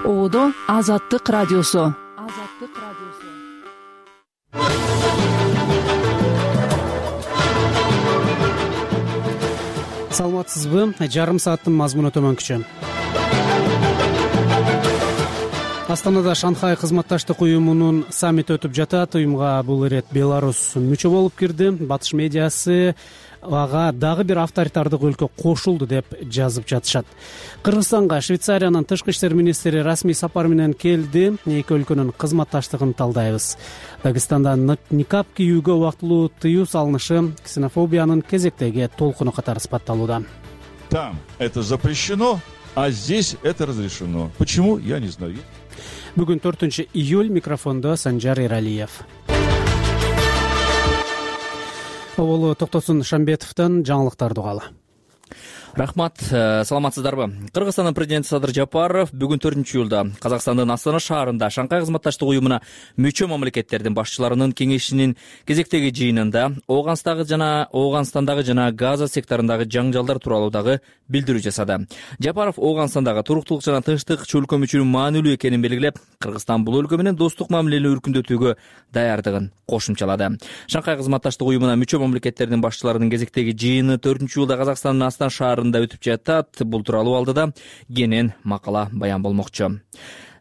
Оодо Азаттык радиосу. Саламатсызбы? Жарым сааттын мазмуну төмөнкүчө. Астанада Шанхай кызматташтык уюмунун саммити өтүп жатат. Уюмга бул ирет Беларусь мүчө болуп кирди. Батыш медиасы ага дагы бир авторитардык өлкө кошулду деп жазып жатышат. Кыргызстанга Швейцариянын тышкы иштер министри расмий сапар менен келди. Эки өлкөнүн кызматташтыгын талдайбыз. Дагыстанда никап кийүүгө убактылуу тыюу салынышы ксенофобиянын кезектеги толкуну катары сыпатталууда. Там это запрещено, а здесь это разрешено. Почему? Я не знаю. Бүгүн 4 июль, микрофондо Санжар Эралиев. Оболу Токтосун Шамбетовдон жаңылыктарды угалы. Рахмат, саламатсыздарбы? Кыргызстандын президенти Садыр Жапаров бүгүн 4 июлда Казакстандын Астана шаарында Шанхай кызматташтык уюмуна мүчө мамлекеттердин башчыларынын кеңешинин кезектеги жыйынында Ооганстандагы жана Газа секторундагы жаңжалдар тууралуу дагы билдирүү жасады. Жапаров Ооганстандагы туруктуулук жана тынчтык чөлкө мүчүнүн маанилүү экенин белгилеп, Кыргызстан бул өлкө менен достук мамилени өркүндөтүүгө даярдыгын кошумчалады. Шанхай кызматташтык уюмуна мүчө мамлекеттердин башчыларынын кезектеги жыйыны 4 июлда Казакстандын Астана шаарында өтүп жатат. Бул тууралуу алдыда кенен макала баян болмокчу.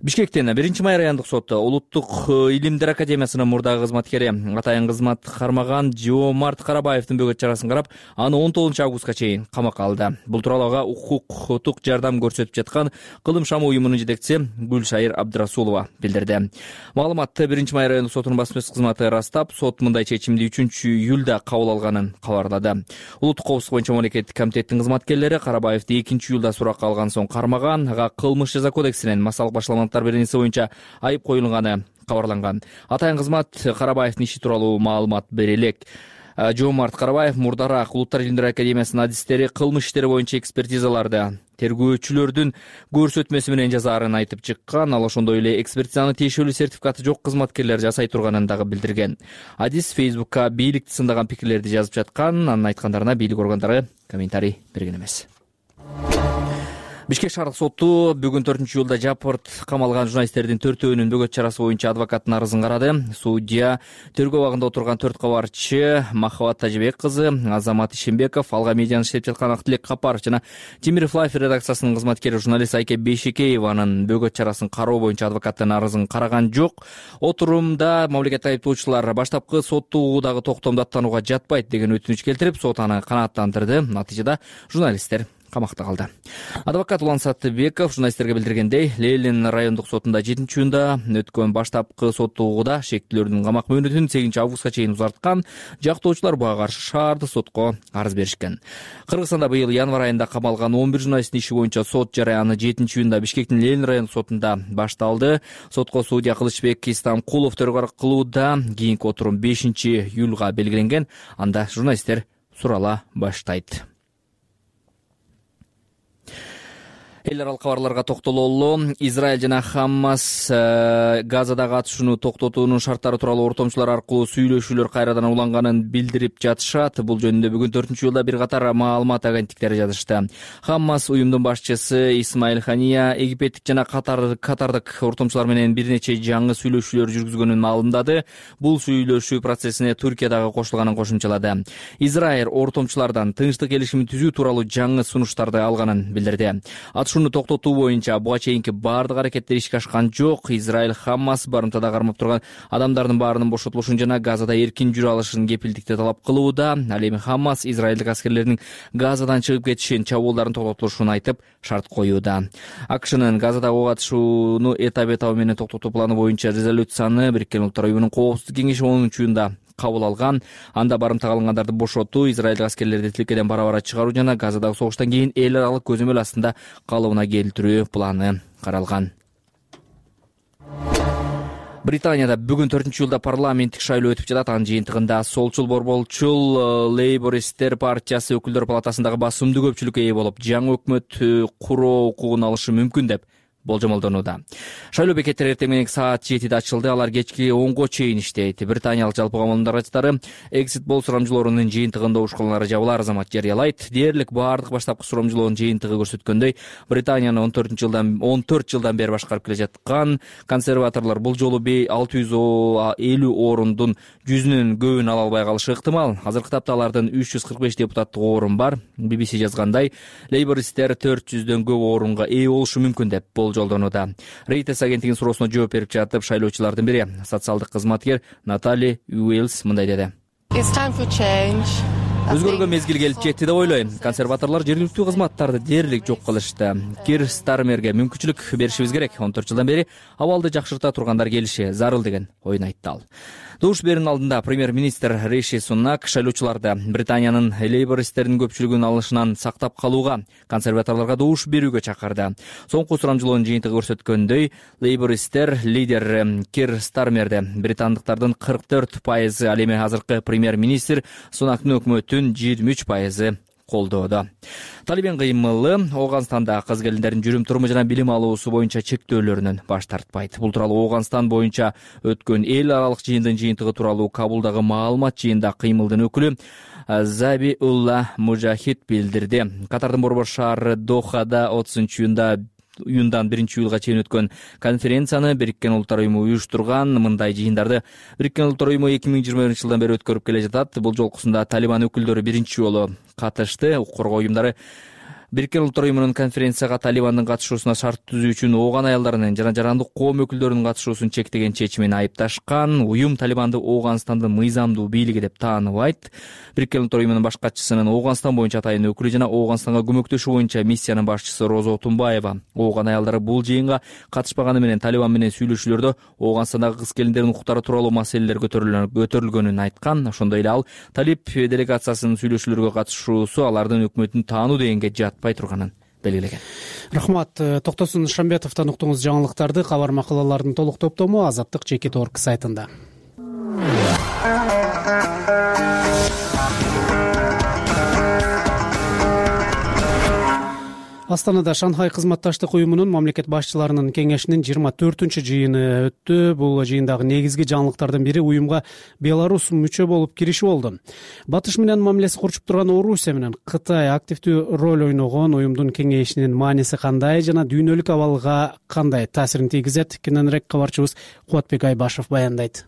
Бишкектен 1 май райондук соту Улуттук илимдер академиясынын мурдагы кызматкери атайын кызмат кармаган Жоомарт Карабаевдин бөгөт чарасын карап, аны 19 августка чейин камакка алды. Бул тууралуу ага укуктук жардам көрсөтүп жаткан Кылым шамы уюмунун жетекчиси Гүлшайыр Абдрасулова билдирди. Маалыматты 1 май райондук сотунун басма сөз кызматы ырастап, сот мындай чечимди 3 июлда кабыл алганын кабарлады. Улуттук коопсуздук боюнча мамлекеттик комитеттин кызматкерлери Карабаевди 2 июлда суракка алган соң кармаган, ага кылмыш жаза кодексинин массалык башаламалыктар беренеси боюнча айып коюлганы кабарланган. Атайын кызмат Карабаевдин иши тууралуу маалымат бере элек. Жоомарт Карабаев мурдараак Улуттар илимдер академиясынын адистери кылмыш иштери боюнча экспертизаларды тергөөчүлөрдүн көрсөтмөсү менен жазаарын айтып чыккан. Ал ошондой эле экспертизанын тиешелүү сертификаты жок кызматкерлер жасай турганын дагы билдирген. Адис Фейсбукка бийликти сындаган пикирлерди жазып жаткан. Анын айткандарына бийлик органдары комментарий берген эмес. Бишкек шаардык соту бүгүн 4 июлда Жапырт камалган журналисттердин 4-өөнүн бөгөт чарасы боюнча адвокаттын арызын карады. Судья тергөө абагында отурган 4 кабарчы Махабат Тажибек кызы, Азамат Ишембеков, Алга медианы иштеп жаткан Актилек Капаров жана Темиров Лайф редакциясынын кызматкери журналист Айке Бейшекееванын бөгөт чарасын кароо боюнча адвокаттын арызын караган жок. Отурумда мамлекеттик айыптоочулар баштапкы соттуугудагы токтомду аттанууга жатпайт деген өтүнүч келтирип, сот аны канааттандырды. Натыйжада журналисттер камакта калды. Адвокат Улан Саттыбеков журналисттерге билдиргендей, Ленин райондук сотунда 7 июнда өткөн баштапкы соттуугуда шектүүлөрдүн камак мөөнөтүн 8 августка чейин узарткан. Жактоочулар буга каршы шаардык сотко арыз беришкен. Кыргызстанда быйыл январь айында камалган 11 журналисттин иши боюнча сот жараяны 7 июнда Бишкектин Ленин райондук сотунда башталды. Сотко судья Кылычбек Истамкулов төрөгарчылык кылууда. Кийинки отурум 5 июлга белгиленген. Анда журналисттер сурала баштайт. Эл аралык кабарларга токтололу. Израиль жана Хаммас Газадагы атышууну токтотуунун шарттары тууралуу ортомчулар аркылуу сүйлөшүүлөр кайрадан уланганын билдирип жатышат. Бул жөнүндө бүгүн 4 июлда бир катар маалымат агенттиктери жазышты. Хаммас уюмдун башчысы Исмаил Хания египеттик жана катардык ортомчулар менен бир нече жаңы сүйлөшүүлөр жүргүзгөнүн маалымдады. Бул сүйлөшүү процессине Түркия дагы кошулганын кошумчалады. Израиль ортомчулардан тынчтык келишимин түзүү тууралуу жаңы сунуштарды алганын билдирди. Атышууну токтотуу боюнча буга чейинки баардык аракеттер ишке ашкан жок. Израиль Хаммас барымтада кармап турган адамдардын баарынын бошотулушун жана Газада эркин жүрө алышын кепилдикти талап кылууда. Ал эми Хаммас израилдик аскерлердин Газадан чыгып кетишин, чабуулдардын токтотулушун айтып шарт коюуда. АКШнын Газадагы ок атышууну этап менен токтотуу планы боюнча резолюцияны Бириккен Улуттар уюмунун Коопсуздук кеңеши 10 июнда кабыл алган. Анда барымта кылынгандарды бошотуу, израилдик аскерлерди тилкеден бара-бара чыгаруу жана Газадагы согуштан кийин эл аралык көзөмөл астында калыбына келтирүү планы каралган. Британияда бүгүн 4 июлда парламенттик шайлоо өтүп жатат. Анын жыйынтыгында солчул борболчул Лейбористтер партиясы өкүлдөр палатасындагы басымдуу көпчүлүккө ээ болуп, жаңы өкмөт куруу укугун алышы мүмкүн деп болжомолдонууда. Шайлоо бекеттери эртең менен саат 7-де ачылды, алар кечки 10-го чейин иштейт. Британиялык жалпы коомдун арачтары экзит пол сурамжылоорунун жыйынтыгында ушкулары жабылар азамат жарыялайт. Дээрлик баардык баштапкы сурамжылоонун жыйынтыгы көрсөткөндөй, Британияны 14 жылдан бери башкарып келе жаткан консерваторлор бул жолу 650 орундун 100-нөн көбүн ала албай калышы ыктымал. Азыркы тапта алардын 345 депутаттык орун бар. BBC жазгандай, лейбористтер 400дөн көп орунга ээ болушу мүмкүн деп болжолдонууда. Reuters агенттигинин суроосуна жооп берип жатып, шайлоочулардын бири, социалдык кызматкер Натали Уэльс мындай деди. Өзгөргөн мезгил келип жетти деп ойлойм. Консерваторлор жергиликтүү кызматтарды дээрлик жок кылышты. Кир Стармерге мүмкүнчүлүк беришибиз керек. 14 жылдан бери абалды жакшырта тургандар келиши зарыл деген оюн айтты ал. Добуш берүүнүн алдында премьер-министр Риши Сунак шайлоочуларды Британиянын лейбористтердин көпчүлүгүнүн алышынан сактап калууга, консерваторлорго добуш берүүгө чакырды. Соңку сурамжылоонун жыйынтыгы көрсөткөндөй, лейбористтер лидер Кир Стармерди британдыктардын 44%, ал эми азыркы премьер-министр Сунактын өкмөтүн 23% колдоодо. Талибан кыймылы Ооганстанда кыз келиндердин жүрүм-туруму жана билим алуусу боюнча чектөөлөрүнөн баш тартпайт. Бул тууралуу Ооганстан боюнча өткөн эл аралык жыйындын жыйынтыгы тууралуу Кабулдагы маалымат жыйында кыймылдын өкүлү Забиулла Мужахид билдирди. Катардын борбор шаары Дохада 30-июндан 1-июлга чейин өткөн конференцияны Бириккен Улуттар Уюму уюштурган. Мындай жыйындарды Бириккен Улуттар Уюму 2021-жылдан бери өткөрүп келе жатат. Бул жолкусунда Талибан өкүлдөрү биринчи жолу катышты. Укук коргоо уюмдары Бириккен Улуттар Уюмунун конференцияга Талибандын катышуусуна шарт түзүү үчүн ооган аялдарынын жана жарандык коом өкүлдөрүнүн катышуусун чектеген чечимин айыпташкан. Уюм Талибанды Ооганстандын мыйзамдуу бийлиги деп тааныбайт. Бириккен Улуттар Уюмунун баш катчысынын Ооганстан боюнча атайын өкүлү жана Ооганстанга көмөктөшүү боюнча миссиянын башчысы Розо Тумбаева ооган аялдары бул жыйынга катышпаганы менен Талибан менен сүйлөшүүлөрдө Ооганстандагы кыз келиндердин укуктары тууралуу маселелер көтөрүлгөнүн айткан. Ошондой эле ал Талиб делегациясынын сүйлөшүүлөргө катышуусу алардын өкмөтүн таануу дегенге жатпай турганын белгилеген. Рахмат. Токтосун Шамбетовдон уктуңуз жаңылыктарды. Кабар макалалардын толук топтому Азаттык Чекит.org сайтында. Астанада Шанхай кызматташтык уюмунун мамлекет башчыларынын кеңешинин 24-чү жыйыны өттү. Бул жыйындагы негизги жаңылыктардын бири уюмга Беларусь мүчө болуп кириши болду. Батыш менен мамилеси курчуп турган Орусия менен Кытай активдүү роль ойногон уюмдун кеңешинин мааниси кандай жана дүйнөлүк абалга кандай таасирин тийгизет? Кененирээк кабарчыбыз Кубатбек Айбашев баяндайт.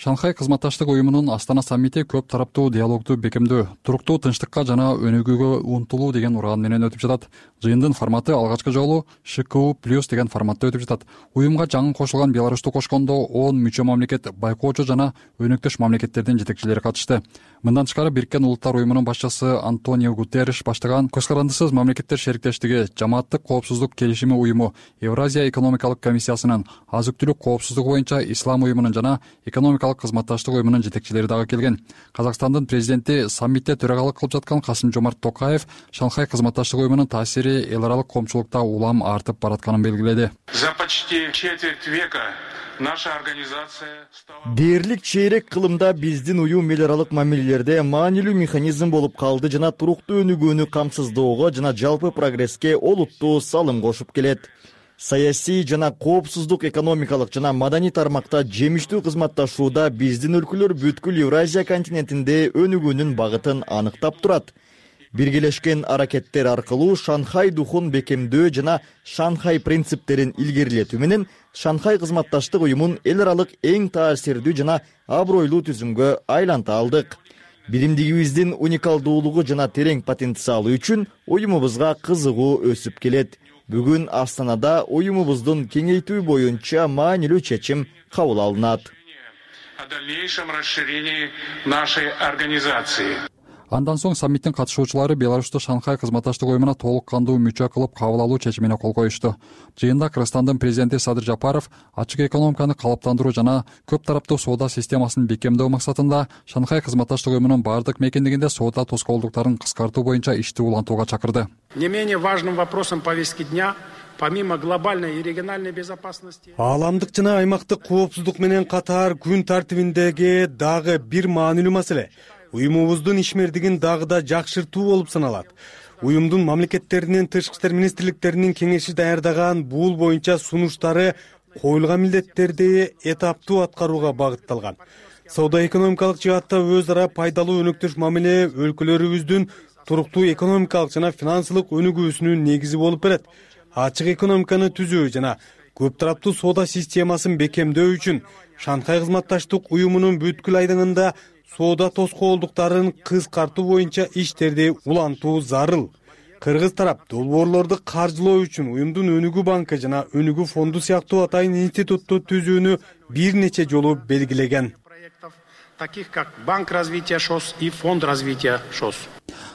Шанхай кызматташтык уюмунун Астана саммити көп тараптуу диалогду бекемдөө, туруктуу тынчтыкка жана өнүгүүгө умтулуу деген уран менен өтүп жатат. Жыйындын форматы алгачкы жолу ШКУ+ деген форматта өтүп жатат. Уюмга жаңы кошулган Беларусьту кошкондо 10 мүчө мамлекет, байкоочу жана өнөктөш мамлекеттердин жетекчилери катышты. Мындан тышкары Бириккен Улуттар Уюмунун башчысы Антонио Гутерриш баштаган көз карандысыз мамлекеттер шериктештиги, жамааттык коопсуздук келишими уюму, Евразия экономикалык комиссиясынын, азык-түлүк коопсуздугу боюнча Ислам уюмунун жана экономикалык кызматташтык уюмунун жетекчилери дагы келген. Казакстандын президенти саммитте төрагалык кылып жаткан Касым-Жомарт Токаев Шанхай кызматташтык уюмунун таасири эл аралык коомчулукта улам артып баратканын белгиледи. За почти четверть века наша организация стала... Дээрлик чейрек кылымда биздин уюм эл аралык мамилелерде маанилүү механизм болуп калды жана туруктуу өнүгүүнү камсыздоого жана жалпы прогресске олуттуу салым кошуп келет. Саясий жана коопсуздук, экономикалык жана маданий тармакта жемиштүү кызматташууда биздин өлкөлөр бүткүл Евразия континентинде өнүгүүнүн багытын аныктап турат. Биргелешкен аракеттер аркылуу Шанхай духун бекемдөө жана Шанхай принциптерин илгерилетүү менен Шанхай кызматташтык уюмун эл аралык эң таасирдүү жана абройлуу түзүмгө айланта алдык. Биримдигибиздин уникалдуулугу жана терең потенциалы үчүн уюмубузга кызыгуу өсүп келет. Бүгүн Астанада уюмубуздун кеңейтүү боюнча маанилүү чечим кабыл алынат. О дальнейшем расширении нашей организации. Андан соң саммиттин катышуучулары Беларусьту Шанхай кызматташтык уюмуна толук кандуу мүчө кылып кабыл алуу чечимине кол коюшту. Жыйында Кыргызстандын президенти Садыр Жапаров ачык экономиканы калыптандыруу жана көп тараптуу соода системасын бекемдөө максатында Шанхай кызматташтык уюмунун бардык мекендигинде соода тоскоолдуктарын кыскартуу боюнча ишти улантууга чакырды. Не менее важным вопросом повестки дня, помимо глобальной и региональной безопасности, ааламдык жана аймактык коопсуздук менен катар күн тартибиндеги дагы бир маанилүү маселе уюмубуздун ишмердигин дагы да жакшыртуу болуп саналат. уюмдун мамлекеттеринин тышкы иштер министрликтеринин кеңеши даярдаган бул боюнча сунуштары коюлган милдеттерди этаптуу аткарууга багытталган. Соода-экономикалык жаатта өз ара пайдалуу өнөктөш мамиле өлкөлөрүбүздүн туруктуу экономикалык жана финансылык өнүгүүсүнүн негизи болуп берет. Ачык экономиканы түзүү жана көп тараптуу соода системасын бекемдөө үчүн Шанхай кызматташтык уюмунун бүткүл айдыңында соода тоскоолдуктарын кыскартуу боюнча иштерди улантуу зарыл. Кыргыз тарап долбоорлорду каржылоо үчүн уюмдун өнүгүү банкы жана өнүгүү фонду сыяктуу атайын институтту түзүүнү бир нече жолу белгилеген. Таких как Банк развития ШОС и Фонд развития ШОС.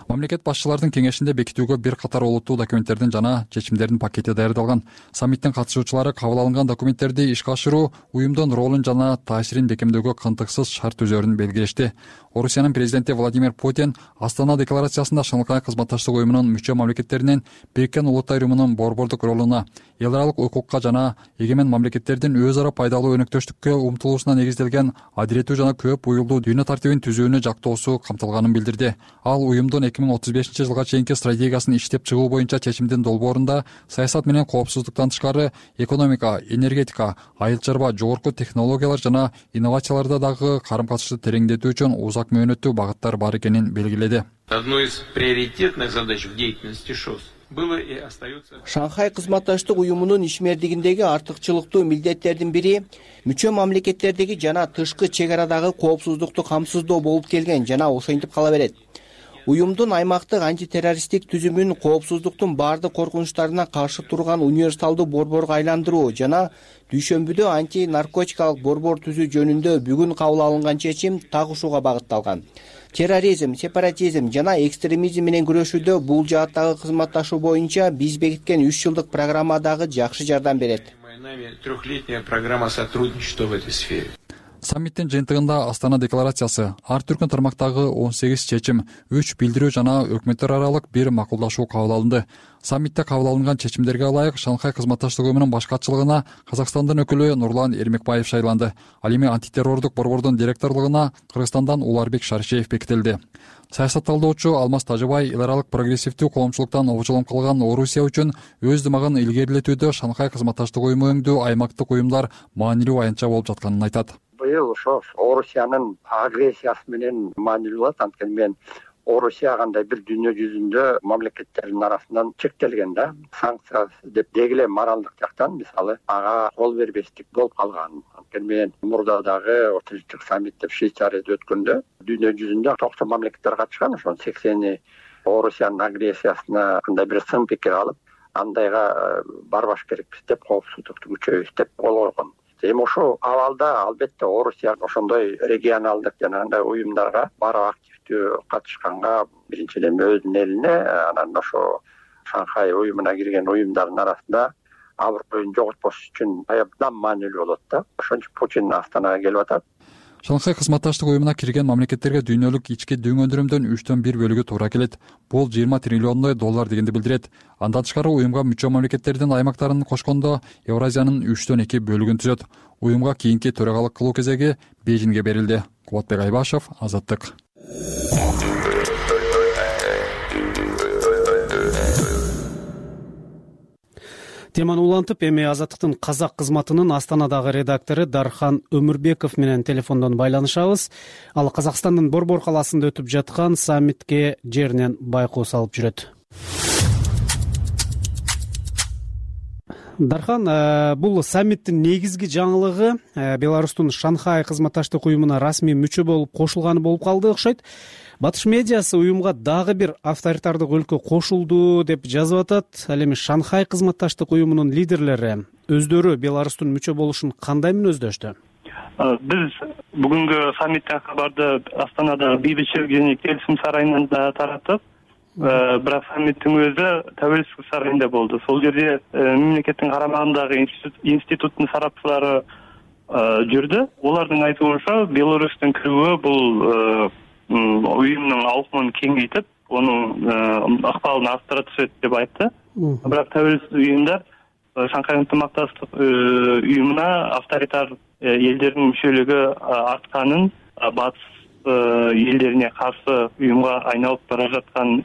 Мамлекет башчылардын кеңешинде бекитүүгө бир катар олуттуу документтердин жана чечимдердин пакети даярдалган. Саммиттин катышуучулары кабыл алынган документтерди ишке ашыруу, уюмдун ролун жана таасирин бекемдөөгө кантыксыз шарт түзөөрүн белгилешти. Орусиянын президенти Владимир Путин Астана декларациясында Шанхай кызматташтык уюмунун мүчө мамлекеттеринин Бириккен Улуттар уюмунун борбордук ролуна, эл аралык укукка жана эгемен мамлекеттердин өз ара пайдалуу өнөктөштүккө умтулуусуна негизделген адилеттүү жана көп буюлдуу дүйнө тартибин түзүүнү жактоосу камтылганын билдирди. Ал уюмдун 2035 жылга чейинки стратегиясын иштеп чыгуу боюнча чечимдин долбоорунда саясат менен коопсуздуктан тышкары экономика, энергетика, айыл чарба, жогорку технологиялар жана инновацияларда дагы карым-катышты тереңдетүү үчүн узак мөөнөттүү багыттар бар экенин белгиледи. Одной из приоритетных задач в деятельности ШОС было и остается. Шанхай кызматташтык уюмунун ишмердигиндеги артыкчылыктуу милдеттердин бири мүчө мамлекеттердеги жана тышкы чек арадагы коопсуздукту камсыздоо болуп келген жана ошентип кала берет. Уюмдун аймактык антитеррористтик түзүмүн коопсуздуктун баардык коркунучтарына каршы турган универсалдуу борборго айландыруу жана дүйшөмбүдө анти-наркотикалык борбор түзүү жөнүндө бүгүн кабыл алынган чечим так ушуга багытталган. Терроризм, сепаратизм жана экстремизм менен күрөшүүдө бул жааттагы кызматташуу боюнча биз бекиткен 3 жылдык программа дагы жакшы жардам берет. Трехлетняя программа сотрудничества в этой сфере. Саммиттин жыйынтыгында Астана декларациясы, ар түркүн тармактагы 18 чечим, 3 билдирүү жана өкмөттөр аралык бир макулдашуу кабыл алынды. Саммитте кабыл алынган чечимдерге ылайык Шанхай кызматташтык уюмунун башкачылыгына Казакстандын өкүлү Нурлан Эрмекбаев шайланды. Ал эми антитеррордук борбордун директорлугуна Кыргызстандан Уларбек Шаришев бекитилди. Саясатталдоочу Алмаз Тажыбай эл аралык прогрессивдүү коомчулуктан обжолом кылган Орусия үчүн өз дымагын илгерилетүүдө Шанхай кызматташтык уюму өңдүү аймактык уюмдар маанилүү аянтча болуп жатканын айтат. Быйыл ошо Орусиянын агрессиясы менен маанилүү болот. Анткени мен Орусия кандай бир дүйнө жүзүндө мамлекеттердин арасынан чектелген да. Санкция деп дегиле моралдык жактан мисалы ага кол бербестик болуп калган. Анткени мен мурда дагы Орточулук саммит деп Швейцарияда өткөндө дүйнө жүзүндө 90 мамлекеттер катышкан, ошонун 80 Орусиянын агрессиясына кандай бир сын пикир алып, андайга барбаш керекпиз деп коопсуздукту күчөйбүз деп кол койгон. Эми ошол абалда албетте Орусия ошондой регионалдык жана андай уюмдарга барып активдүү катышканга биринчиден өзүнүн элине, анан ошо Шанхай уюмуна кирген уюмдардын арасында аброюн жоготпош үчүн абдан маанилүү болот да. Ошон үчүн Путин Астанага келип атат. Шанхай кызматташтык уюмуна кирген мамлекеттерге дүйнөлүк ички дөң өндүрүмдөн 3/1 бөлүгү туура келет. Бул 20 триллиондой доллар дегенди билдирет. Андан тышкары уюмга мүчө мамлекеттердин аймактарын кошкондо Евразиянын 3/2 бөлүгүн түзөт. Уюмга кийинки төрагалык кылуу кезеги Бейжиңге берилди. Кубатбек Айбашев, Азаттык. Теманы улантып, эми Азаттыктын казак кызматынын Астанадагы редактору Дархан Өмүрбеков менен телефондон байланышабыз. Ал Казакстандын Борбор калаасында өтүп жаткан саммитке жеринен байкоо салып жүрөт. Дархан, бул саммиттин негизги жаңылыгы Беларустун Шанхай кызматташтык уюмуна расмий мүчө болуп кошулганы болуп калды окшойт. Батыш медиасы уюмга дагы бир авторитардык өлкө кошулду деп жазып атат. Ал эми Шанхай кызматташтык уюмунун лидерлери өздөрү Беларустун мүчө болушун кандай мүнөздөштү? Биз бүгүнкү саммиттен кабарды Астанада бейбитчилик және келисим сарайынан тараттык. Бирок саммиттин өзү Тәуелсиздик сарайында болду. Сол жерде мамлекеттин карамагындагы институттун сарапчылары жүрдү. Олардын айтуунча Беларустун кирүүгө бул уюмдун аукмун кеңейтип, онун акыбалын арттыра түшөт деп айтты. Бирок Тәуелсиз уюмдар Шанхай ынтымакташтык уюмуна авторитар элдердин мүчөлүгү артканын, батыш элдерине каршы уюмга айналып бара жаткан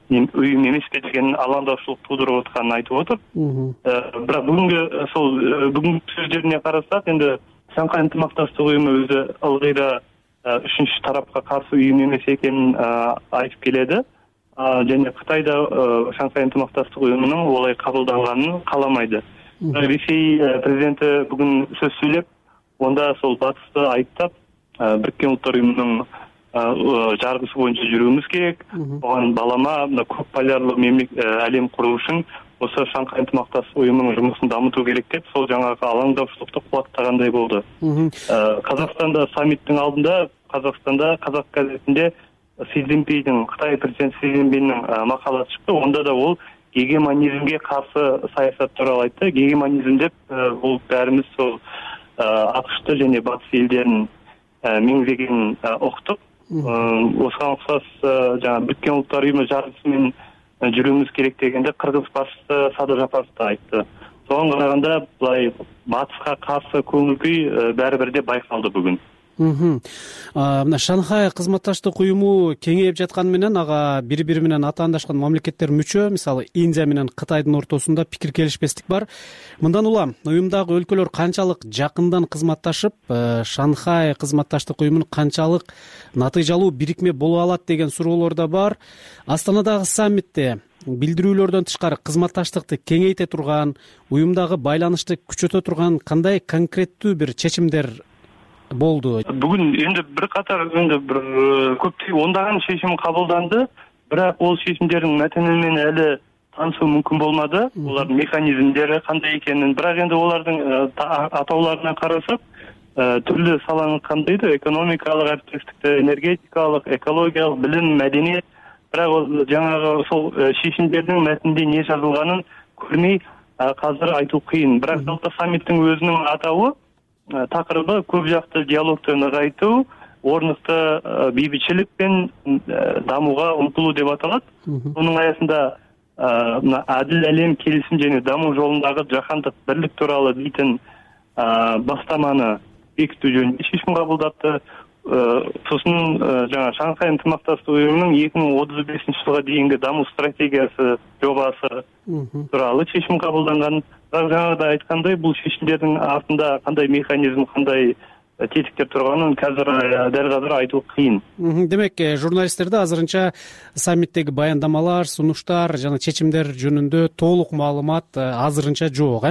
уюм эмеспи деген алаңдаушылык туудуруп атканын айтып отур. Бирок бүгүнкү сөздөрүнө карасак, эми Шанхай ынтымакташтык уюму өзү ылгый да үчүнчү тарапка каршы уюм эмес экенин айтып келеди. Және Кытай да Шанхай ынтымакташтык уюмунун олай кабылданганын кааламайды. Ресей президенти бүгүн сөз сүйлөп, онда сол батышты айыптап, Бириккен Улуттар уюмунун жаргысы боюнча жүрүүбүз керек. Буга балама көп полярлуу әлем куруу үчүн ошо Шанхай ынтымакташтык уюмунун жумушун дамытуу керек деп, сол жаңагы алаңдаушылыкту кубаттагандай болду. Казакстанда саммиттин алдында, Казакстанда Казак газетинде Кытай президенти Си Цзиньпиндин макаласы чыкты. Онда да ол гегемонизмге каршы саясат тууралуу айтты. Гегемонизм деп бул баарыбыз сол АКШты және батыш элдеринин меңзегенин уктук. Осуга окшош жаңа Бириккен Улуттар уюму жаргысы менен жүрүүбүз керек дегенде кыргыз башчысы Садыр Жапаров да айтты. Сога караганда былай батышка каршы көңүл күй баары бир байкалды бүгүн. Мына Шанхай кызматташтык уюму кеңейип жатканы менен ага бири-бири менен атаандашкан мамлекеттер мүчө, мисалы Индия менен Кытайдын ортосунда пикир келишпестик бар. Мындан улам уюмдагы өлкөлөр канчалык жакындан кызматташып, Шанхай кызматташтык уюмунун канчалык натыйжалуу бирикме боло алат деген суроолор да бар. Астанадагы саммитте билдирүүлөрдөн тышкары кызматташтыкты кеңейте турган, уюмдагы байланышты күчөтө турган кандай конкреттүү бир чечимдер болду? Бүгүн эми бир катар бир көптөгөн ондаган чечим кабылданды, бирок ол чечимдердин матени менен эле таанышуу мүмкүн болмады. Булардын механизмдери кандай экенин, бирок энди олардын атоолоруна карасак, түрлүү саланы камтыйт: экономикалык әріптестікті, энергетикалык, экологиялык, билим, мәдениет. Бирок жаңагы сол чечимдердин матнинде не жазылганын көрмөй азыр айтуу кыйын. Бирок жалпы саммиттин өзүнүн атабы такырыбы көп жакты диалогду нығайтуу, орнукты бейбитчилик менен дамууга умтулуу деп аталат. Мунун аясында адил әлем келишим және дамуу жолундагы жаһандык бирлик тууралуу дейтин бастаманы бекитүү жөнүндө чечим кабылдатты. Сосын жаңа Шанхай ынтымакташтык уюмунун 2035-жылга дейинки дамуу стратегиясы жобасы тууралуу чечим кабылданган. Жаңада айткандай, бул чечимдердин артында кандай механизм, кандай тетиктер турганын дәл азыр айтуу кыйын. Демек, журналисттерде азырынча саммиттеги баяндамалар, сунуштар жана чечимдер жөнүндө толук маалымат азырынча жок,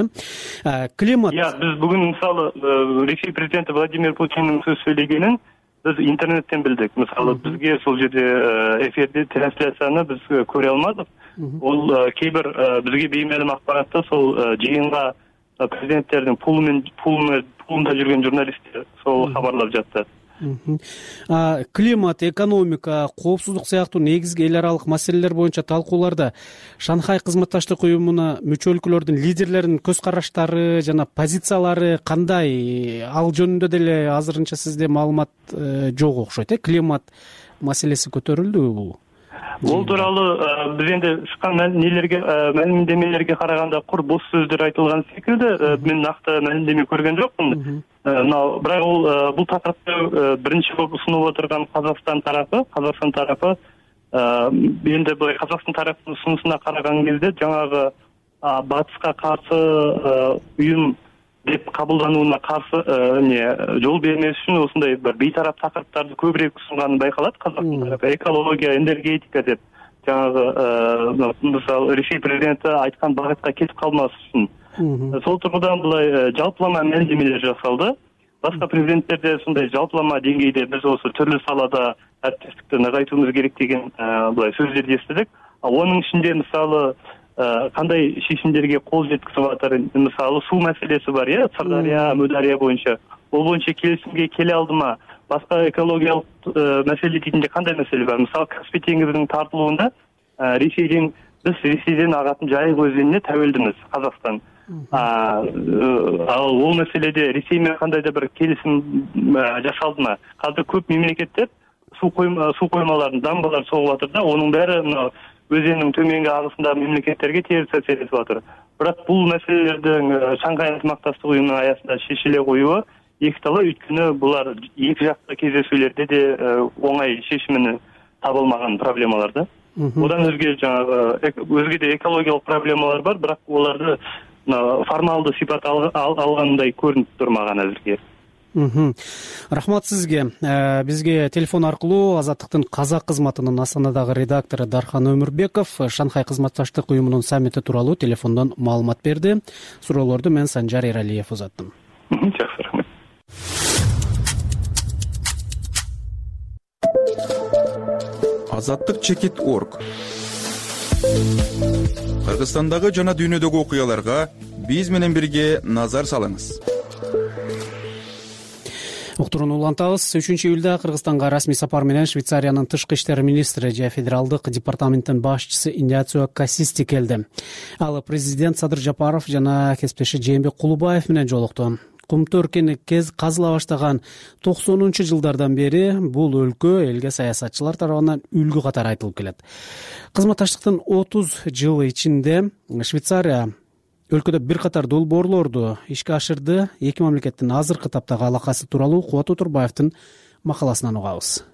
Климат. Биз бүгүн мисалы Ресей президенти Владимир Путиндин сөз сүйлөгөнүн biz internetten bildik. Mesela bizge сол жерде эфирде трансляцияны biz көре алмадык. Ол кейбір бізге беймәлім ақпаратта сол жиынға президенттердің пулында жүрген журналисттер сол хабарлап жатты. Климат, экономика, коопсуздук сыяктуу негизги эл аралык маселелер боюнча талкууларда Шанхай кызматташтык уюмуна мүчө өлкөлөрдүн лидерлеринин көз караштары жана позициялары кандай? Ал жөнүндө деле азырынча сизде маалымат жок окшойт. Климат маселеси көтөрүлдүбү? Ол тууралуу биз энди чыккан маалимдемелерге караганда кур бос сөздөр айтылган секилди. Мен накты маалимдеме көргөн жокмун. Бирок ол бул такырыпты биринчи болуп сунуп отурган Казакстан тарапы энди бул Казакстан тарапынын сунушуна караган кезде жаңагы батышка каршы уюм деп кабылданууна каршы жол бермеш үчүн осундай бир бейтарап такырыптарды көбүрөөк сунганын байкалат. Казакстан тарапы экология, энергетика деп жаңагы мисалы Ресей президенти айткан багытка кетип калмас үчүн. Сол тургудан былай жалпылама маалимдемелер жасалды. Башка президенттерде сондай жалпылама деңгейде биз осы түрлүү салада әріптестікті нығайтуымыз керек деген былай сөздерди естидик. Онун ичинде мисалы кандай шешимдерге кол жеткизип атыр? Мисалы суу маселеси бар, Сырдария, Мөдария боюнча. Ол боюнча келишимге келе алдыма? Башка экологиялык маселе дейтинде кандай маселе бар? Мисалы Каспий деңизинин тартылуунда биз Ресейден агатын Жайык өзөнүнө тәуелдимиз, Казакстан. Ол маселеде Ресей менен кандайда бир келишим жасалдымы? Азыр көп мемлекеттер суу коймаларын, дамбалар согуп атыр да, онун баары өзенин төменги агысындагы мемлекеттерге терс таасир этип атыр. Бирок бул маселелердин Шанхай ынтымакташтык уюмунун аясында шешиле коюу эки талаа, өйткөнү булар эки жактуу кездесүүлөрдө де оңай чечимини таба алмаган проблемалар да. Одан өзге жанагы өзге да экологиялык проблемалар бар, бирок оларды формалдуу сипат алгандай көрүнүп турмаган азыркы. Рахмат сизге. Бизге телефон аркылуу Азаттыктын казак кызматынын Астанадагы редактору Дархан Өмүрбеков Шанхай кызматташтык уюмунун саммити тууралуу телефондон маалымат берди. Суроолорду мен Санжар Эралиев узаттым. Жакшы, рахмат. Азаттык.org. Кыргызстандагы жана дүйнөдөгү окуяларга биз менен бирге назар салыңыз. Уктурууну улантабыз. 3-июлда Кыргызстанга расмий сапар менен Швейцариянын тышкы иштер министри же федералдык департаменттин башчысы Иницио Кассисти келди. Ал президент Садыр Жапаров жана кесиптеши Жээнбек Кулубаев менен жолукту. Кумту өркени казыла баштаган 90-жылдардан бери бул өлкө элге саясатчылар тарабынан үлгү катары айтылып келет. Кызматташтыктын 30 жылы ичинде Швейцария өлкөдө бир катар долбоорлорду ишке ашырды. Эки мамлекеттин азыркы таптагы алакасы тууралуу Кубат Отурбаевдин макаласынан угабыз.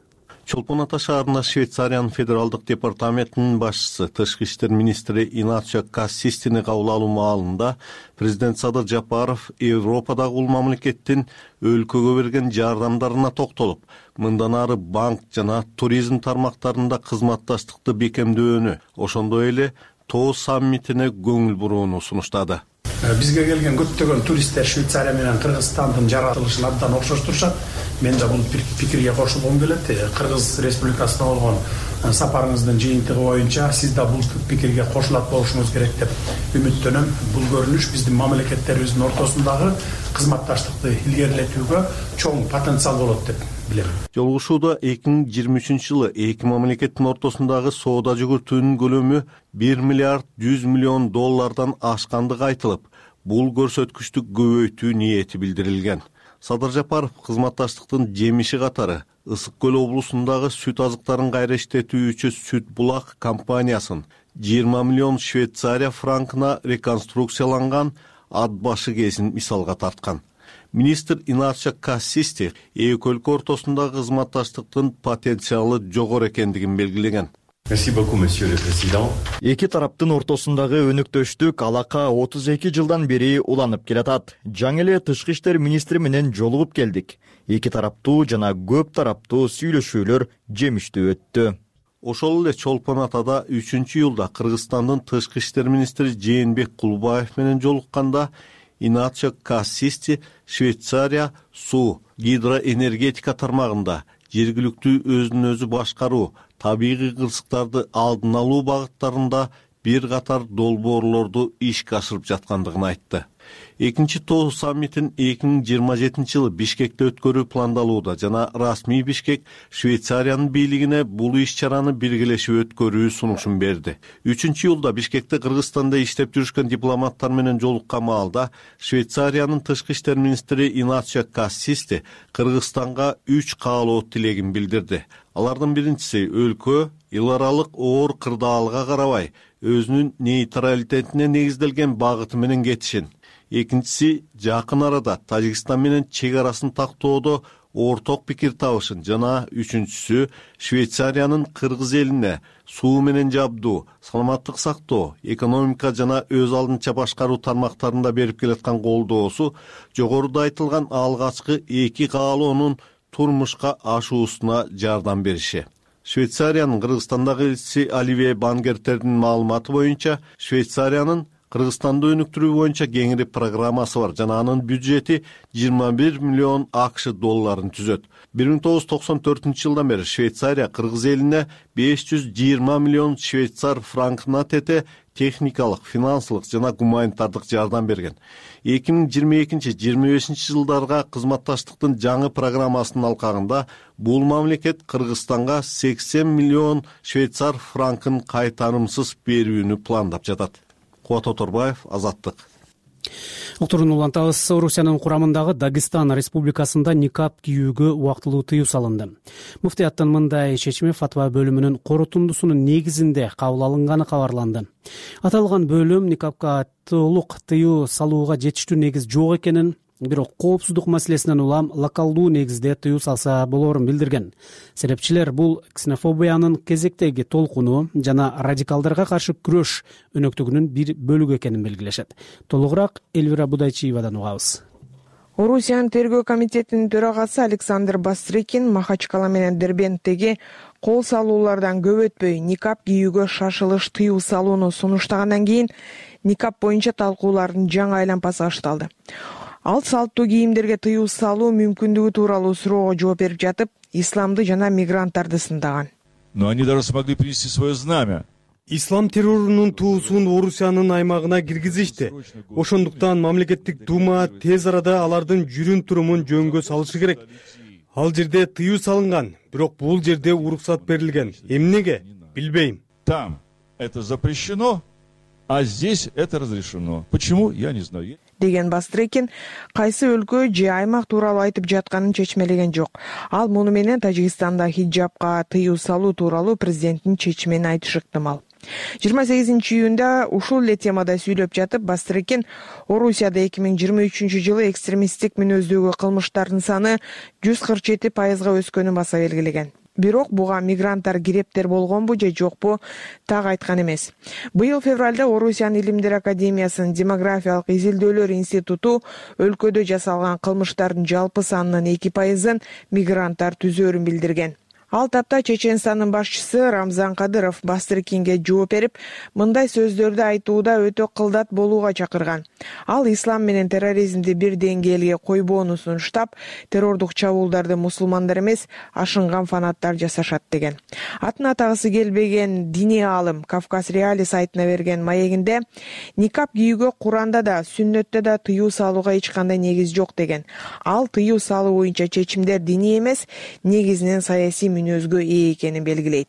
Чолпон Ата шаарында Швейцариянын федералдык департаментинин башчысы, тышкы иштер министри Иницио Кассистини кабыл алуу маалында президент Садыр Жапаров Европадагы бул мамлекеттин өлкөгө берген жардамдарына токтолуп, мындан ары банк жана туризм тармактарында кызматташтыкты бекемдөөнү, ошондой эле тоо саммитине көңүл бурууну сунуштады. Бизге келген көптөгөн туристтер Швейцария менен Кыргызстандын жаратылышын абдан окшоштурушат. Мен да бул пикирге кошулгум келет. Кыргыз Республикасына болгон сапарыңыздын жыйынтыгы боюнча сиз да бул пикирге кошулат болушуңуз керек деп үмүттөнөм. Бул көрүнүш биздин мамлекеттерибиздин ортосундагы кызматташтыкты илгерилетүүгө чоң потенциал болот деп билем. Жолугушууда 2023-жылы эки мамлекеттин ортосундагы соода жүгүртүүнүн көлөмү 1 миллиард 100 миллион доллардан ашкандыгы айтылып, бул көрсөткүчтү көбөйтүү ниети билдирилген. Садыр Жапаров кызматташтыктын жемиши катары Ысык көл облусундагы сүт азыктарын кайра иштетүүчү Сүт булак компаниясын 20 миллион Швейцария франкына реконструкцияланган ат башы кезин мисалга тарткан. Министр Иницио Кассисти эки өлкө ортосундагы кызматташтыктын потенциалы жогору экендигин белгилеген. Эки тараптын ортосундагы өнүктөштүк алака 32 жылдан бери уланып келатат. Жаңы эле тышкы иштер министри менен жолугуп келдик. Эки тараптуу жана көп тараптуу сүйлөшүүлөр жемиштүү өттү. Ошол эле Чолпон Атада 3-июлда Кыргызстандын тышкы иштер министри Жээнбек Кулубаев менен жолукканда Иницио Кассисти Швейцария суу, гидроэнергетика тармагында жергиликтүү өзүн өзү башкаруу, табигый кырсыктарды алдын алуу багыттарында бир катар долбоорлорду ишке ашырып жаткандыгын айтты. Экинчи тоо саммитин 2027 жылы Бишкекте өткөрүү пландалууда жана расмий Бишкек Швейцариянын бийлигине бул иш-чараны биргелешип өткөрүү сунушун берди. 3-июлда Бишкекте Кыргызстанда иштеп жүрүшкөн дипломаттар менен жолуккан маалда Швейцариянын тышкы иштер министри Иницио Кассисти Кыргызстанга 3 каалоо тилегин билдирди. Алардын биринчиси өлкө эл аралык оор кырдаалга карабай өзүнүн нейтралитетине негизделген багыты менен кетишин. Экинчиси жакын арада Тажикстан менен чек арасын тактоодо орток пикир табышын жана үчүнчүсү Швейцариянын Кыргыз элине суу менен жабдуу, саламаттык сактоо, экономика жана өз алдынча башкаруу тармактарында берип келаткан колдоосу жогоруда айтылган алгачкы эки каалоонун турмушка ашуусуна жардам бериши. Швейцариянын Кыргызстандагы элчиси Оливье Бангертердин маалыматы боюнча Швейцариянын Кыргызстанды өнүктүрүү боюнча кеңири программасы бар жана анын бюджети 21 миллион АКШ долларын түзөт. 1994 жылдан бери Швейцария Кыргыз элине 520 миллион швейцар франкына тете техникалык, финансылык жана гуманитардык жардам берген. 2022-25 жылдарга кызматташтыктын жаңы программасынын алкагында бул мамлекет Кыргызстанга 80 миллион швейцар франкын кайтарымсыз берүүнү пландап жатат. Кубат Отурбаев, Азаттык. Уктурууну улантабыз. Орусиянын курамындагы Дагестан республикасында никап кийүүгө убактылуу тыюу салынды. Муфтияттын мындай чечими фатва бөлүмүнүн корутундусунун негизинде кабыл алынганы кабарланды. Аталган бөлүм никапка толук тыюу салууга жетиштүү негиз жок экенин, бирок коопсуздук маселесинен улам локалдуу негизде тыюу салса болоорун билдирген. Серепчилер бул ксенофобиянын кезектеги толкуну жана радикалдарга каршы күрөш өнөктүгүнүн бир бөлүгү экенин белгилешет. Толугураак Элвира Будайчиевадан угабыз. Орусиянын тергөө комитетинин төрагасы Александр Бастрыкин Махачкала менен Дербенттеги кол салуулардан көп өтпөй никап кийүүгө шашылыш тыюу салууну сунуштагандан кийин никап боюнча талкуулардын жаңы айлампасы башталды. Ал салттуу кийимдерге тыюу салуу мүмкүндүгү тууралуу суроого жооп берип жатып, исламды жана мигранттарды сындаган. Но они даже смогли принести свое знамя. Ислам террорунун туусун Орусиянын аймагына киргизишти. Ошондуктан мамлекеттик дума тез арада алардын жүрүм турумун жөнгө салышы керек. Ал жерде тыюу салынган, бирок бул жерде уруксат берилген. Эмнеге? Билбейм. Там это запрещено, а здесь это разрешено. Почему? Я не знаю. Деген Бастрыкин кайсы өлкө же аймак тууралуу айтып жатканын чечмелеген жок. Ал муну менен Тажикстанда хиджабка тыюу салуу тууралуу президенттин чечимин айтышы ыктымал. 28-июнда ушул эле темада сүйлөп жатып, Бастрыкин Орусияда 2023-жылы экстремисттик мүнөздөгү кылмыштардын саны 147%га өскөнүн баса белгилеген. Бирок буга мигранттар кирептер болгонбу же жокпу так айткан эмес. Быйыл февралда Орусиянын Илимдер академиясынын демографиялык изилдөөлөр институту өлкөдө жасалган кылмыштардын жалпы санынын 2%ын мигранттар түзөөрүн билдирген. Ал тапта Чеченстандын башчысы Рамзан Кадыров Бастрыкинге жооп берип, мындай сөздөрдү айтууда өтө кылдат болууга чакырган. Ал ислам менен терроризмди бир деңгээлге койбоону сунуштап, террордук чабуулдарды мусулмандар эмес, ашынган фанаттар жасашат деген. Атын атагысы келбеген диний аалым Кавказ Реали сайтына берген маегинде никап кийүүгө Куранда да, сүннөттө да тыюу салууга эч кандай негиз жок деген. Ал тыюу салуу боюнча чечимдер диний эмес, негизинен саясий мүнөзгө ээ экенин белгилейт.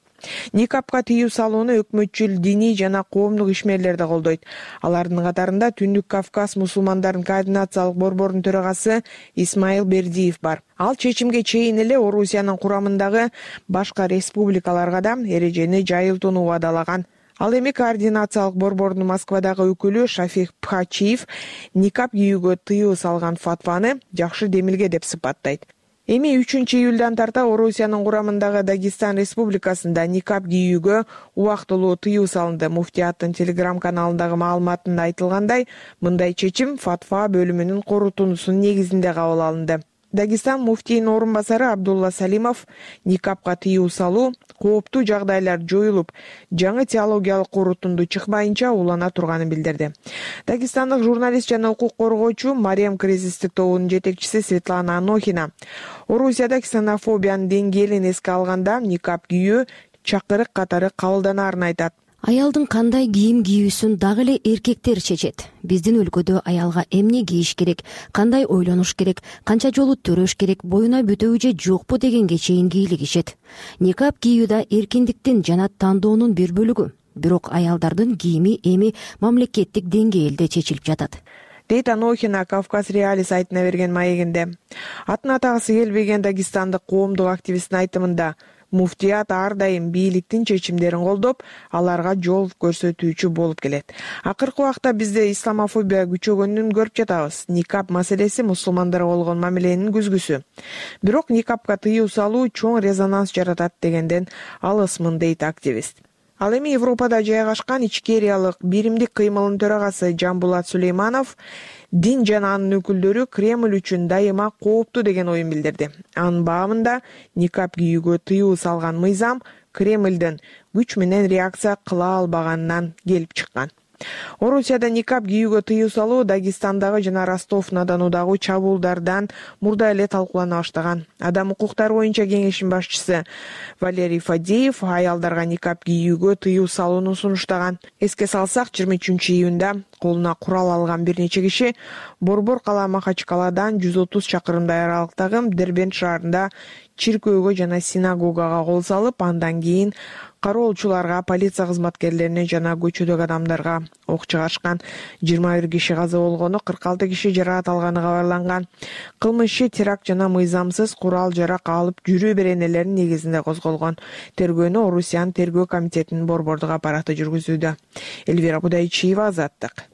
Никапка тыюу салууну өкмөтчүл диний жана коомдук ишмерлер да колдойт. Алардын катарында Түндүк Кавказ мусулмандардын координациялык борборунун төрагасы Исмаил Бердиев бар. Ал чечимге чейин эле Орусиянын курамындагы башка республикаларга да эрежени жайылтууну убадалаган. Ал эми координациялык борбордун Москвадагы өкүлү Шафик Пхачиев никап кийүүгө тыюу салган фатваны жакшы демилге деп сыпаттайт. Эми 3-июлдан тарта Орусиянын курамындагы Дагестан республикасында никап кийүүгө убактылуу тыюу салынды. Муфтияттын телеграм-каналындагы маалыматында айтылгандай, мындай чечим фатва бөлүмүнүн корутуусунун негизинде кабыл алынды. Дагестан муфтийинин орун басары Абдулла Салимов никапка тыюу салуу кооптуу жагдайлар жоюлуп, жаңы теологиялык корутунду чыкпайынча улана турганын билдирди. Дагестандык журналист жана укук коргоочу Мариям кризистик тобунун жетекчиси Светлана Анохина Орусияда ксенофобиянын деңгээлин эске алганда никап кийүү чакырык катары кабылданаарын айтат. Аялдын кандай кийим кийүүсүн дагы эле эркектер чечет. Биздин өлкөдө аялга эмне кийиш керек, кандай ойлонуш керек, канча жолу төрөш керек, боюна бүтөбү же жокпу дегенге чейин кийлигишет. Никап кийүү да эркиндиктин жана тандоонун бир бөлүгү. Бирок аялдардын кийими эми мамлекеттик деңгээлде чечилип жатат. Дейт Анохина Кавказ Реали сайтына берген маегинде. Атын атагысы келбеген дагестандык коомдук активисттин айтымында муфтият ар дайым бийликтин чечимдерин колдоп, аларга жол көрсөтүүчү болуп келет. Акыркы убакта бизде исламофобия күчөгөнүн көрүп жатабыз. Никап маселеси мусулмандарга болгон мамиленин күзгүсү. Бирок никапка тыюу салуу чоң резонанс жаратат дегенден алысмын, дейт активист. Ал эми Европада жайгашкан Ичкериялык биримдик кыймылынын төрагасы Жамбулат Сулейманов дин жана анын өкүлдөрү Кремль үчүн дайыма кооптуу деген оюн билдирди. Анын баамында никап кийүүгө тыюу салган мыйзам Кремлдин күч менен реакция кыла албаганынан келип чыккан. Орусияда никап кийүүгө тыюу салуу Дагестандагы жана Ростов-на-Донудагы чабуулдардан мурда эле талкуулана баштаган. Адам укуктары боюнча кеңештин башчысы Валерий Фадеев аялдарга никап кийүүгө тыюу салууну сунуштаган. Эске салсак, 23-июнда колуна курал алган бир нече киши Борбор кала Махачкаладан 130 чакырымдай аралыктагы Дербент шаарында чиркөөгө жана синагогага кол салып, андан кийин кароолчуларга, полиция кызматкерлерине жана көчөдөгү адамдарга ок чыгарышкан. 21 киши каза болгону, 46 киши жаракат алганы кабарланган. Кылмыш иши теракт жана мыйзамсыз курал жарак алып жүрүү беренелеринин негизинде козголгон. Тергөөнү Орусиянын тергөө комитетинин борбордук аппараты жүргүзүүдө. Элвира Будайчиева, Азаттык.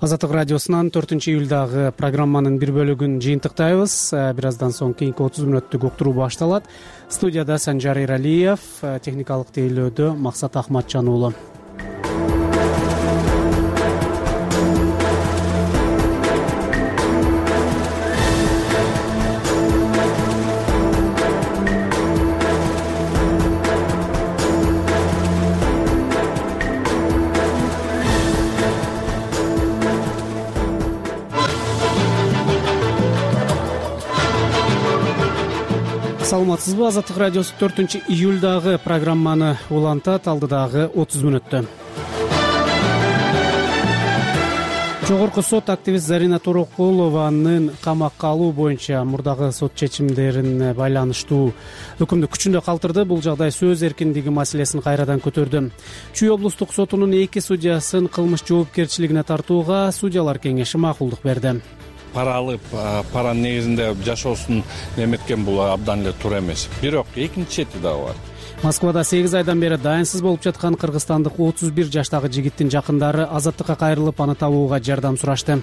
Азаттык радиосунан 4-июлдагы программанын бир бөлүгүн жыйынтыктайбыз. Бир аздан соң кийинки 30 мүнөттүк уктуруу башталат. Студияда Санжар Эралиев, техникалык тейлөөдө Максат Ахматжан уулу. Саламатсызбы? Азаттык радиосу 4-июлдагы программаны улантат алдыдагы 30 мүнөттө. Жогорку сот активист Зарина Торокулованын камакка алуу боюнча мурдагы сот чечимдерин байланыштуу өкүмдү күчүндө калтырды. Бул жагдай сөз эркиндиги маселесин кайрадан көтөрдү. Чүй облустук сотунун 2 судьясын кылмыш жоопкерчилигине тартууга судьялар кеңеши макулдук берди. Пара алып, паранын негизинде жашоосун неметкен бул абдан эле туура эмес. Бирок экинчи чети дагы бар. Москвада 8 айдан бери дайынсыз болуп жаткан кыргызстандык 31 жаштагы жигиттин жакындары азаттыкка кайрылып, аны табууга жардам сурашты.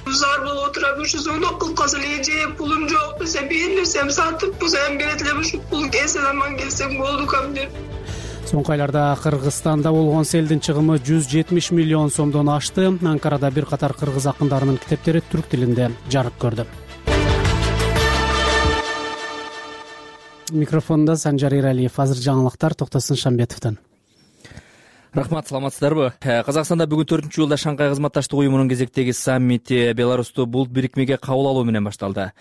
Зар болуп отурам, ушу звонок кылып калса эле эже пулум жок десе, берилсем сатып болсо эми берет элем, ушу пул келсе аман келсем болду кам деп. Соңку айларда Кыргызстанда болгон селдин чыгымы 170 миллион сомдон ашты. Анкарада бир катар кыргыз акындарынын китептери түрк тилинде жарык көрдү. Микрофондо Санжар Эралиев. Азыр жаңылыктар Токтосун Шамбетовдон. Рахмат, саламатсыздарбы? Казакстанда бүгүн 4-июлда Шанхай кызматташтык уюмунун кезектеги саммити Беларусту бул бирикмеге кабыл алуу менен башталды.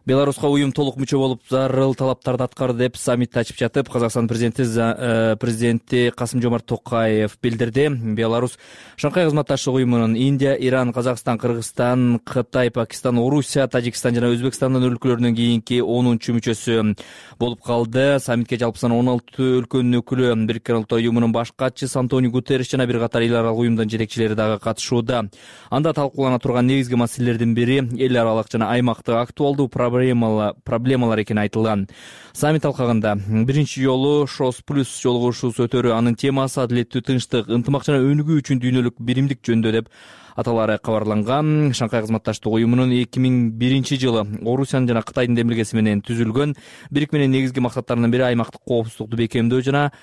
Беларуска уюм толук мүчө болуп зарыл талаптарды аткарды деп саммитти ачып жатып, Казакстан президенти Касым-Жомарт Токаев билдирди. Беларус Шанхай кызматташтык уюмунун Индия, Иран, Казакстан, Кыргызстан, Кытай, Пакистан, Орусия, Тажикстан жана Өзбекстандын өлкөлөрүнүн кийинки 10-чу мүчөсү болуп калды. Саммитке жалпы саны 16 өлкөнүн өкүлү, Бириккен Улуттар уюмунун баш катчысы Антонио Гутерриш жана бир катар эл аралык уюмдун жетекчилери дагы катышууда. Анда талкуулана турган негизги маселелердин бири эл аралык жана аймактык актуалдуу проблемалар экени айтылган. Саммит алкагында биринчи жолу ШОС плюс жолугушуусу өтөрү, анын темасы адилеттүү, тынчтык, ынтымак жана өнүгүү үчүн дүйнөлүк биримдик жөнүндө деп аталары кабарланган. Шанхай кызматташтык уюмунун 2001-жылы Орусиянын жана Кытайдын демилгеси менен түзүлгөн. Бирикменин негизги максаттарынын бири аймактык коопсуздукту бекемдөө жана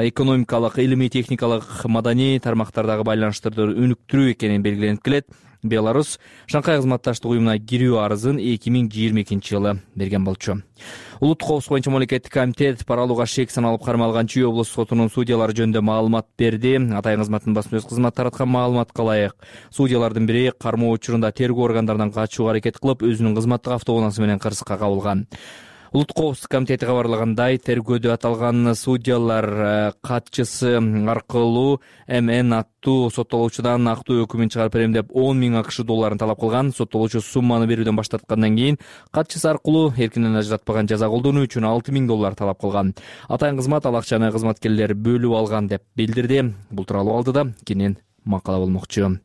экономикалык, илимий, техникалык, маданий тармактардагы байланыштарды өнүктүрүү экени белгиленип келет. Беларус Шанхай кызматташтык уюмуна кирүү арызын 2022-жылы берген болчу. Улуттук коопсуздук боюнча мамлекеттик комитет пара алууга шек саналып кармалган Чүй облустук сотунун судьялары жөнүндө маалымат берди. Атайын кызматтын басма сөз кызматы тараткан маалыматка ылайык, судьялардын бири кармоо учурунда тергөө органдарынан качууга аракет кылып, өзүнүн кызматтык автоунаасы менен кырсыкка кабылган. Улуттук коопсуздук комитети кабарлагандай, тергөөдө аталган судьялар катчысы аркылуу МН аттуу соттолуучудан актуу өкүмүн чыгарып берем деп 10 000 АКШ долларын талап кылган. Соттолуучу сумманы берүүдөн баш тарткандан кийин катчысы аркылуу эркинен ажыратпаган жаза колдонуу үчүн 6 000 доллар талап кылган. Атайын кызмат ал акчаны кызматкерлер бөлүп алган деп билдирди. Бул тууралуу алдыда кенен макала болмокчу.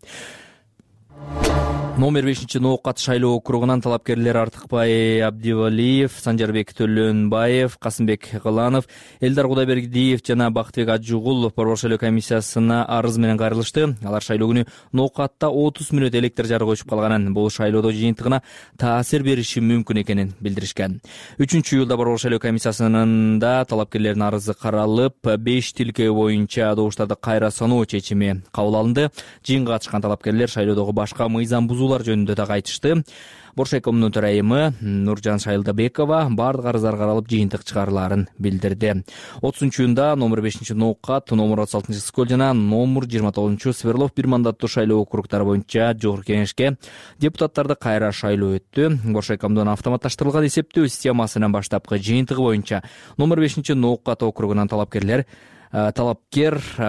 Номер 5-ноокат шайлоо округунан талапкерлер Артыкбай Абдивалиев, Санжарбек Төлөнбаев, Касымбек Кыланов, Элдар Кудайбергиев жана Бактыбек Ажугулов борбор шайлоо комиссиясына арыз менен кайрылышты. Алар шайлоо күнү ноокатта 30 мүнөт электр жарыгы өчүп калганын, бул шайлоодо жыйынтыгына таасир бериши мүмкүн экенин билдиришкен. 3-июлда борбор шайлоо комиссиясынын талапкерлердин арызы каралып, 5 тилкөө боюнча добуштарды кайра саноо чечими кабыл алынды. Жыйынга катышкан талапкерлер шайлоодогу башка мыйзам бузуулар жөнүндө да айтышты. Боршайкомдун төрайымы Нуржан Шайлдабекова бардык арыздар каралып, жыйынтык чыгарылаарын билдирди. 30-июнда номер 5-ноокат, номер 36-Скөл жана номер 29 Сверлов бир мандаттуу шайлоо округдары боюнча жогорку кеңешке депутаттарды кайра шайлоо өттү. Боршайкомдун автоматташтырылган эсептөө системасынын баштапкы жыйынтыгы боюнча номер 5-ноокат округунан талапкер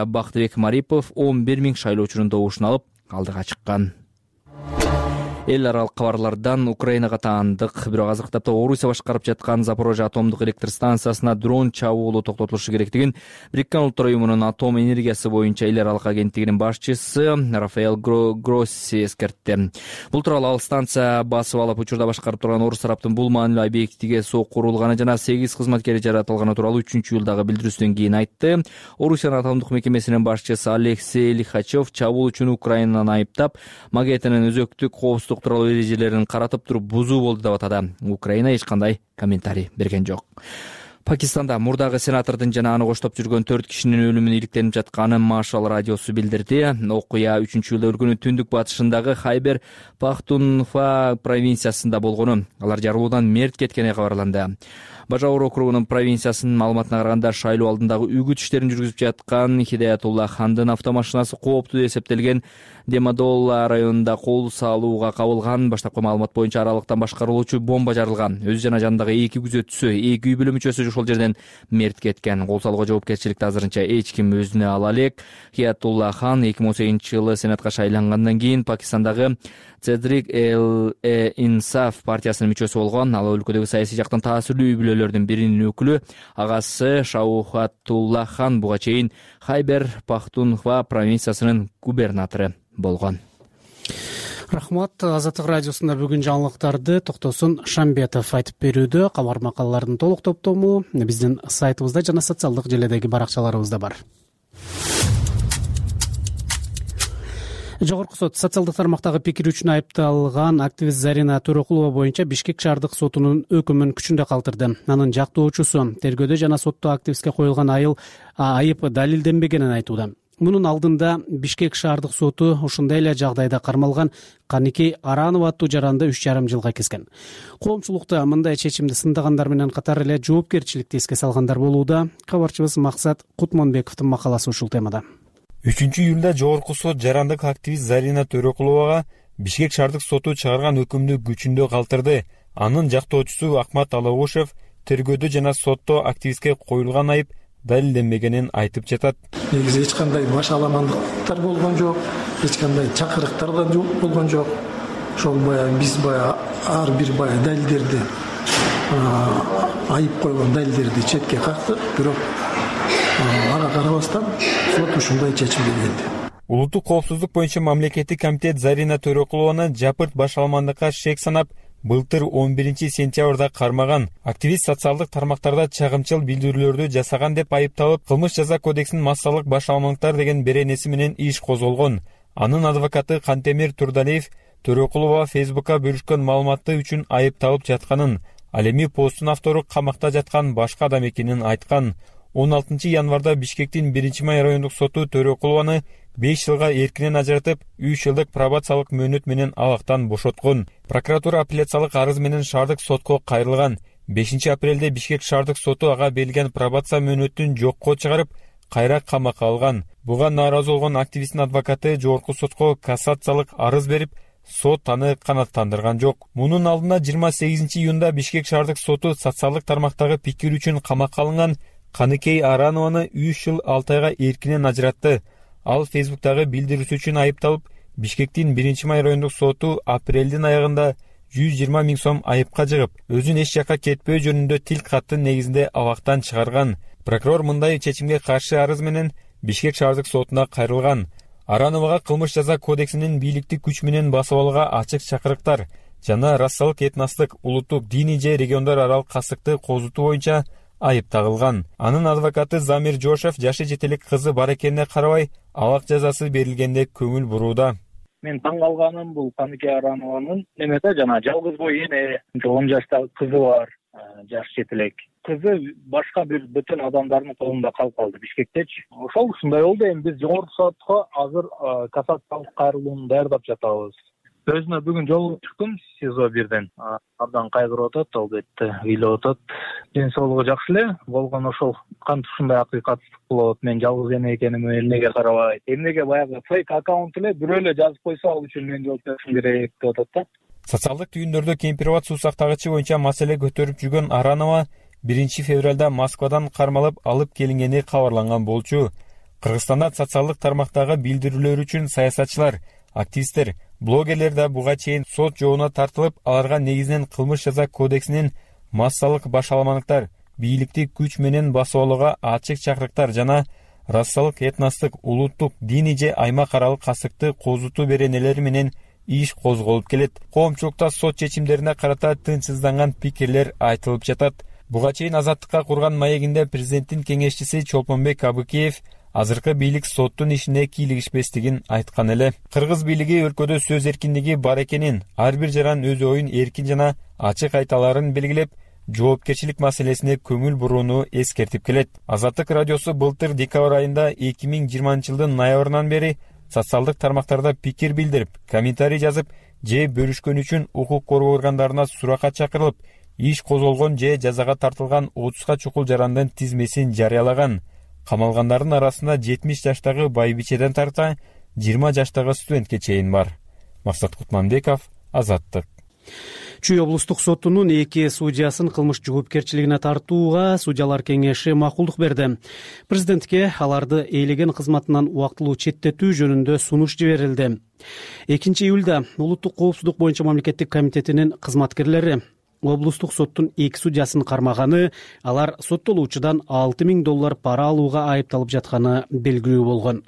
Бактыбек Марипов 11 000 шайлоочунун добушун алып алдыга чыккан. эл аралык кабарлардан Украинага таандык, бирок азыркы тапта Орусия башкарып жаткан Запорожье атомдук электр станциясына дрон чабуулу токтотулушу керектигин Бириккен Улуттар уюмунун атом энергиясы боюнча эл аралык агенттигинин башчысы Рафаэль Гросси эскертти. Бул тууралуу ал станция басып алып учурда башкарып турган орус тараптын бул маанилүү объектиге сокурулганы жана 8 кызматкери жаратылганы тууралуу 3-июлдагы билдирүүсүнөн кийин айтты. Орусиянын атомдук мекемесинин башчысы Алексей Лихачев чабуул үчүн Украинаны айыптап, макетинин өзөктүк коопсуздук тууралуу эрежелерин каратып туруп бузуу болду деп атады. Украина эч кандай комментарий берген жок. Пакистанда мурдагы сенатордун жана аны коштоп жүргөн 4 кишинин өлүмүнө иликтенип жатканын Машал радиосу билдирди. Окуя 3-июлда өлкөнүн түндүк батышындагы Хайбер Пахтунхва провинциясында болгону. Алар жарылуудан мерт кеткени кабарланды. Бажаур округунун провинциясынын маалыматына караганда шайлоо алдындагы үгүт иштерин жүргүзүп жаткан Хидаятулла хандын автомашинасы кооптуу деп эсептелген Демадолла районунда кол салууга кабылган. Баштапкы маалымат боюнча аралыктан башкарылуучу бомба жарылган. Өзү жана жанындагы 2 күзөтчүсү, 2 үй бүлө мүчөсү ошол жерден мерт кеткен. Кол салууга жоопкерчиликти азырынча эч ким өзүнө ала элек. Хидаятулла хан 2018-жылы сенатка шайлангандан кийин Пакистандагы Цедрик Инсаф партиясынын мүчөсү болгон. Ал өлкөдөгү саясий жактан таасирлүү үй бүлөлөрдүн биринин өкүлү. Агасы Шаухатулла хан буга чейин Хайбер Пахтунхва провинциясынын губернатору болгон. Рахмат. Азаттык радиосунда бүгүн жаңылыктарды Токтосун Шамбетов айтып берүүдө. Кабар макалалардын толук топтому биздин сайтыбызда жана социалдык желедеги баракчаларыбызда бар. Жогорку сот социалдык тармактагы пикири үчүн айыпталган активист Зарина Төрөкулова боюнча Бишкек шаардык сотунун өкүмүн күчүндө калтырды. Анын жактоочусу тергөөдө жана сотто активистке коюлган айып далилденбегенин айтууда. Мунун алдында Бишкек шаардык соту ушундай эле жагдайда кармалган Каникей Аранова аттуу жаранды 3,5 жылга kesкен. Коомчулукта мындай чечимди сындагандар менен катар эле жоопкерчиликти эске салгандар болууда. Кабарчыбыз Максат Кутманбековдун макаласы ушул темада. 3-июлда жогорку сот жарандык активист Зарина Төрөкуловага Бишкек шаардык соту чыгарган өкүмдү күчүндө калтырды. Анын жактоочусу Акмат Алагушев тергөөдө жана сотто активистке коюлган айып далилденбегенин айтып жатат. Негизи эч кандай баш аламандыктар болгон жок, эч кандай чакырыктар да болгон жок. Ошол биз ар бир далилдерди, айып койгон далилдерди четке кактык, бирок ага карабастан сот ушундай чечимге келди. Улуттук коопсуздук боюнча мамлекеттик комитет Зарина Төрөкулованы жапырт баш аламандыкка шек санап, былтыр 11-сентябрда кармаган. Активист социалдык тармактарда чагымчыл билдирүүлөрдү жасаган деп айыпталып, кылмыш жаза кодексинин массалык баш аламандыктар деген беренеси менен иш козголгон. Анын адвокаты Кантемир Турдалиев Төрөкулова Фейсбукка бөлүшкөн маалыматы үчүн айыпталып жатканын, ал эми посттун автору камакта жаткан башка адам экенин айткан. 16 январда Бишкектин 1-май райондук соту Төрөкулованы 5 жылга эркинен ажыратып, 3 жылдык пробациялык мөөнөт менен абактан бошоткон. Прокуратура апелляциялык арыз менен шаардык сотко кайрылган. 5 апрелде Бишкек шаардык соту ага берилген пробация мөөнөтүн жокко чыгарып, кайра камакка алган. Буга нааразы болгон активисттин адвокаты жогорку сотко кассациялык арыз берип, сот аны канааттандырган жок. Мунун алдында 28-июнда Бишкек шаардык соту социалдык тармактагы пикир үчүн камакка алынган Каникей Аранованы 3 жыл 6 айга эркинен ажыратты. Ал Фейсбуктагы билдирүүсү үчүн айыпталып, Бишкектин 1-май райондук соту апрелдин аягында 120 000 сом айыпка жыгып, өзүн эч жакка кетпөө жөнүндө тил каттын негизинде абактан чыгарган. Прокурор мындай чечимге каршы арыз менен Бишкек шаардык сотуна кайрылган. Арановага кылмыш жаза кодексинин бийликти күч менен басып алууга ачык чакырыктар жана расалык этностук, улуттук, диний же региондор аралык кастыкты козутуу боюнча айып тагылган. Анын адвокаты Замир Жошев жашы жетелик кызы бар экенине карабай, абак жазасы берилгенде көңүл бурууда. Мен таң калганым бул Каникей Аранованын немеде жана жалгыз бой эне, 10 жаштагы кызы бар, жаш жетелек. Кызы башка бир бүтүн адамдардын колунда калып калды Бишкектечи. Ошол ушундай болду. Эми биз жогорку сотко азыр кассациялык кайрылууну даярдап жатабыз. Өзүнө бүгүн жолугуп чыктым СИЗО 1ден. Абдан кайгырып атат, албетте ыйлап атат. Ден соолугу жакшы эле болгон, ошол кантип ушундай акыйкатсыздык болот. Мен жалгыз эне экениме эмнеге карабайт. Эмнеге баягы фейк аккаунт эле бирөө эле жазып койсо ал үчүн мен жооп беришим керек деп атат да. Социалдык түйүндөрдө кемпирбат суу сактагычы боюнча маселе көтөрүп жүргөн Аранова 1-февралда Москвадан кармалып алып келингени кабарланган болчу. Кыргызстанда социалдык тармактагы билдирүүлөр үчүн саясатчылар Активисттер, блогерлер да буга чейин сот жообуна тартылып, аларга негизинен кылмыш жаза кодексинин массалык башаламандыктар, бийликти күч менен басып алууга ачык чакырыктар жана расалык, этностук, улуттук, диний же аймак аралык кастыкты козутуу беренелери менен иш козголуп келет. Коомчулукта сот чечимдерине карата тынчсызданган пикирлер айтылып жатат. Буга чейин Азаттыкка курган маегинде президенттин кеңешчиси Чолпонбек Абыкеев азыркы бийлик соттун ишине кийлигишпестигин айткан эле. Кыргыз бийлиги өлкөдө сөз эркиндиги бар экенин, ар бир жаран өз оюн эркин жана ачык айта аларын белгилеп, жоопкерчилик маселесине көңүл бурууну эскертип келет. Азаттык радиосу былтыр декабрь айында 2020-жылдын ноябрынан бери социалдык тармактарда пикир билдирип, комментарий жазып же бөлүшкөн үчүн укук коргоо органдарына суракка чакырылып, иш козголгон же жазага тартылган 30га чукул жарандын тизмесин жарыялаган. Камалгандардын арасында 70 жаштагы байбичеден тарта 20 жаштагы студентке чейин бар. Максат Кутманбеков, Азаттык. Чүй облустук сотунун 2 судьясын кылмыш жоопкерчилигине тартууга судьялар кеңеши макулдук берди. Президентке аларды ээлеген кызматынан убактылуу четтетүү жөнүндө сунуш жиберилди. 2-июлда улуттук коопсуздук боюнча мамлекеттик комитетинин кызматкерлери облустук соттун 2 судьясын кармаганы, алар соттолуучудан $6,000 пара алууга айыпталып жатканы белгилүү болгон.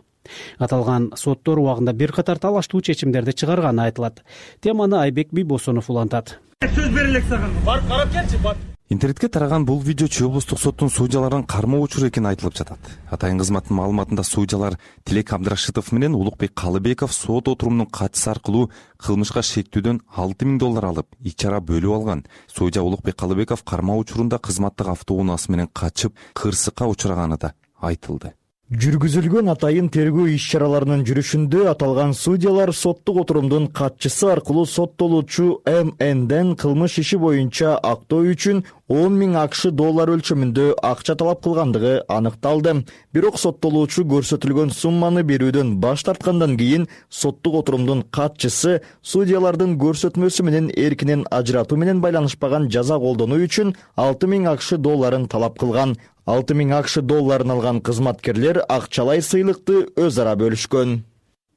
Аталган соттор убагында бир катар талаштуу чечимдерди чыгарганы айтылат. Теманы Айбек Бийбосонов улантат. Сөз берелек сага. Бар карап келчи, бар. Интернетке тараган бул видео Чүй облустук соттун судьяларын кармоо учуру экени айтылып жатат. Атайын кызматтын маалыматында судьялар Тилек Абдрашитов менен Улукбек Калыбеков сот отурумунун катчысы аркылуу кылмышка шектүүдөн $6,000 алып, ичара бөлүп алган. Судья Улукбек Калыбеков кармоо учурунда кызматтык автоунаасы менен качып, кырсыкка учураганы да айтылды. Жүргүзүлгөн атайын тергөө иш-чараларынын жүрүшүндө аталган судьялар соттук отурумдун катчысы аркылуу соттолуучу МНден кылмыш иши боюнча актоо үчүн $10,000 өлчөмүндө акча талап кылгандыгы аныкталды. Бирок соттолуучу көрсөтүлгөн сумманы берүүдөн баш тарткандан кийин соттук отурумдун катчысы судьялардын көрсөтмөсү менен эркинен ажыратуу менен байланышпаган жаза колдонуу үчүн $6,000 талап кылган. $6,000 алган кызматкерлер акчалай сыйлыкты өз ара бөлүшкөн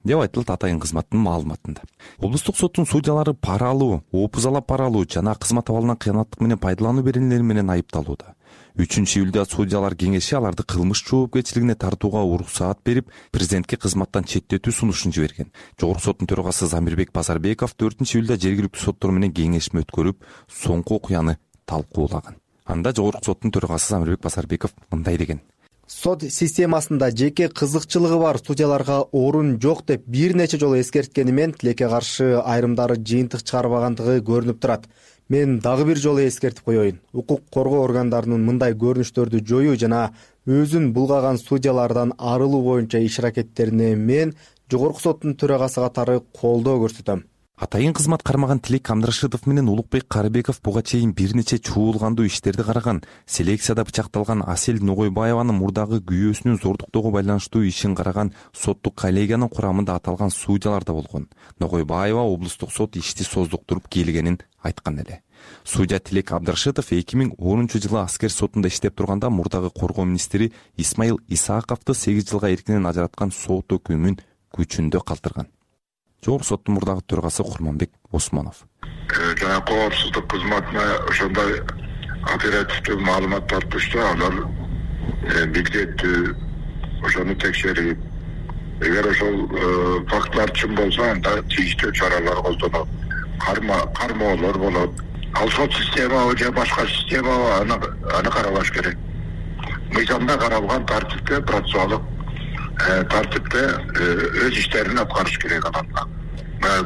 деп айтылат атайын кызматтын маалыматында. Облустук соттун судьялары пара алуу, опузалап пара алуу жана кызмат абалынан кыянаттык менен пайдалануу беренелери менен айыпталууда. 3-июлда судьялар кеңеши аларды кылмыш жоопкерчилигине тартууга уруксаат берип, президентке кызматтан четтетүү сунушун жиберген. Жогорку соттун төрагасы Замирбек Базарбеков 4-июлда жергиликтүү соттор менен кеңешме өткөрүп, соңку окуяны талкуулаган. Анда жогорку соттун төрагасы Замирбек Базарбеков мындай деген: Сот системасында жеке кызыкчылыгы бар судьяларга орун жок деп бир нече жолу эскерткенимен тилекке каршы айрымдары жыйынтык чыгарбагандыгы көрүнүп турат. Мен дагы бир жолу эскертип коеюн. Укук коргоо органдарынын мындай көрүнүштөрдү жоюу жана өзүн булгаган судьялардан арылуу боюнча иш аракеттерине мен жогорку соттун төрагасы катары колдоо көрсөтөм. Атайын кызмат кармаган Тилек Абдрашитов менен Улукбек Карыбеков буга чейин бир нече чуулгандуу иштерди караган. Селекцияда бычакталган Асель Ногойбаеванын мурдагы күйөөсүнүн зордуктоого байланыштуу ишин караган соттук коллегиянын курамында аталган судьялар да болгон. Ногойбаева облустук сот ишти создуктуруп келгенин айткан эле. Судья Тилек Абдрашитов 2010-жылы аскер сотунда иштеп турганда мурдагы коргоо министри Исмаил Исааковду 8 жылга эркинен ажыраткан сот өкүмүн күчүндө калтырган. Жогорку соттун мурдагы төрагасы Курманбек Осмонов. Жана коопсуздук кызматына ошондой оперативдүү маалыматтар түштү, алар билдеттүү ошону текшерип, эгер ошол фактлар чын болсо, анда тийиштүү чаралар колдонуп, кармоолор болот. Ал сот системабы же башка системабы аны каралаш керек. Мыйзамда каралган тартипте, процессуалдык тартипте өз иштерин аткарыш керек адамдар.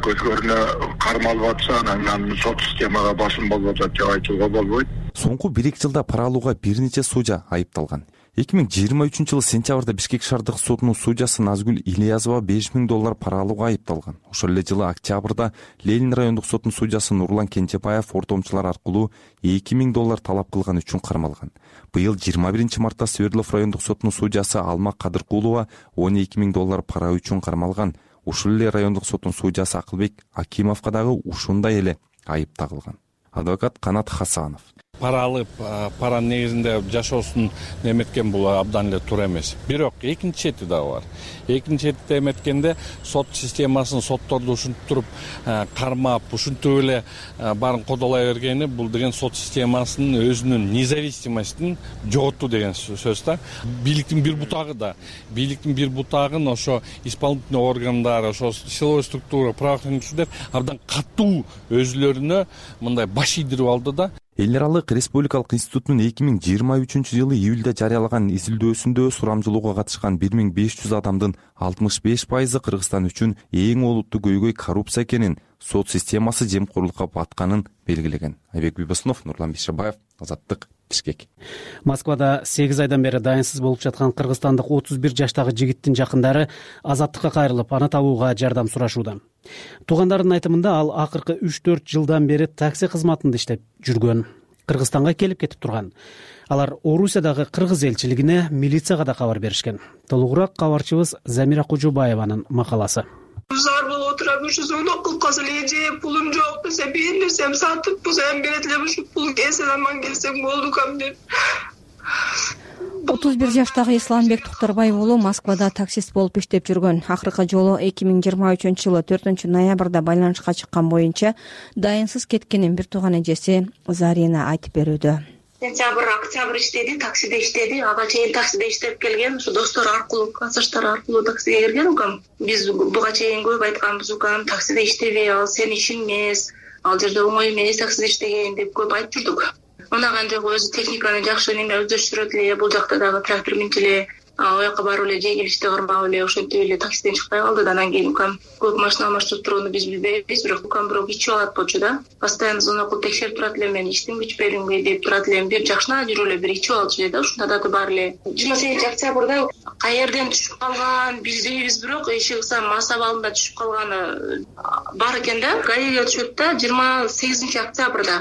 Көзгөрүнө кармалып атса, анан сот системага басым болуп атат деп айтууга болбойт. Соңку 1-2 жылда пара алууга бир нече судья айыпталган. 2023-жылы сентябрда Бишкек шаардык сотунун судьясы Назгүл Ильязова $5,000 пара алууга айыпталган. Ошол эле жылы октябрда Ленин райондук сотунун судьясы Нурлан Кенжебаев ортомчулар аркылуу $2,000 талап кылган үчүн кармалган. Быйыл 21-мартта Свердлов райондук сотунун судьясы Алма Кадыркулова $12,000 пара үчүн кармалган. Ушул эле райондук сотунун судьясы Акылбек Акимовго дагы ушундай эле айып тагылган. Адвокат Канат Хасанов. пара алып паранын негизинде жашоосун эметкен бул абдан эле туура эмес. Бирок экинчи чети дагы бар. Экинчи чети эметкенде сот системасын, сотторду ушинтип туруп кармап, ушинтип эле баарын кодолой бергени бул деген сот системасынын өзүнүн независимостун жоготуу деген сөз да. Бийликтин бир бутагы да, бийликтин бир бутагын ошо исполнительный органдар, ошо силовой структура, правоохранительдер абдан катуу өзүлөрүнө мындай баш ийдирип алды да. Эл аралык республикалык институтунун 2023-жылы июлда жарыялаган изилдөөсүндө сурамжылоого катышкан 1500 адамдын 65% Кыргызстан үчүн эң олуттуу көйгөй коррупция экенин, сот системасы жемкорлукка батканын белгилеген. Айбек Бибосунов, Нурлан Биширбаев, Азаттык, Бишкек. Москвада 8 айдан бери дайынсыз болуп жаткан кыргызстандык 31 жаштагы жигиттин жакындары Азаттыкка кайрылып, аны табууга жардам сурашууда. Туугандарынын айтымында ал акыркы 3-4 жылдан бери такси кызматында иштеп жүргөн. Кыргызстанга келип кетип турган. Алар Орусиядагы кыргыз элчилигине, милицияга да кабар беришкен. Толугураак кабарчыбыз Замира Кожобаеванын макаласы. Зар болуп отурам, ушу звонок кылып калса эле пулум жок десе, бир нерсем сатып, бул эми берет эле ушу пул келсе аман келсем болду кам деп. 31 жаштагы Исламбек Тукторбаев уулу Москвада таксист болуп иштеп жүргөн. Акыркы жолу 2023-жылы 4-ноябрда байланышка чыккан боюнча дайынсыз кеткенин бир тууган эжеси Зарина айтып берүүдө. Сентябрь, октябрь иштеди, таксиде иштеди. Ага чейин таксиде иштеп келген, ушу достор аркылуу, классташтар аркылуу таксиге кирген укам. Биз буга чейин көп айтканбыз укам, таксиде иштебей, ал сенин ишиң эмес, ал жерде оңой эмес таксиде иштеген деп көп айтып жүрдүк. Унаган жок, өзү техниканы жакшы неме өздөштүрөт эле, бул жакта дагы трактор минчи эле, ояка барып эле жегилишти кырмап эле ошентип эле таксиден чыкпай калды. Анан кийин укам көп машина алмаштырып турууну биз билбейбиз, бирок укам бирок ичип алат болчу да. Постоянно звонок кылып текшерип турат эле, мен иштиңби ичпедиңби деп турат эле. Бир жакшына жүрүп эле бир ичип алчу эле да, ушундай адаты бар эле. 28-октябрда каерден түшүп калган билбейбиз, бирок эшик мас абалында түшүп калганы бар экен да. Гаиге түшөт да 28-октябрда.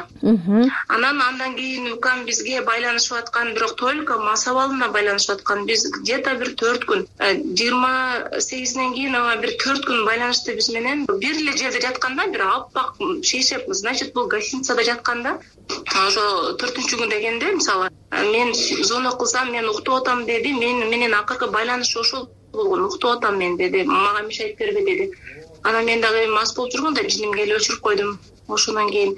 Андан кийин укам бизге байланышып аткан, бирок только мас абалына байланышып аткан. Биз где-то бир 4 күн, 28-ден кийин бир 4 күн байланышты биз менен. Бир эле жерде жатканда, бир аппак шешеп, значит, бул гостиницада жатканда, ошо 4-күн дегенде, мисалы, мен звонок кылсам, мен уктуп атам деди, менен акыркы байланыш ошол болгон, уктуп атам мен деди, мага мешайт бербе деди. Анан мен дагы мас болуп жүргөндө жиним келип өчүрүп койдум. Ошондон кийин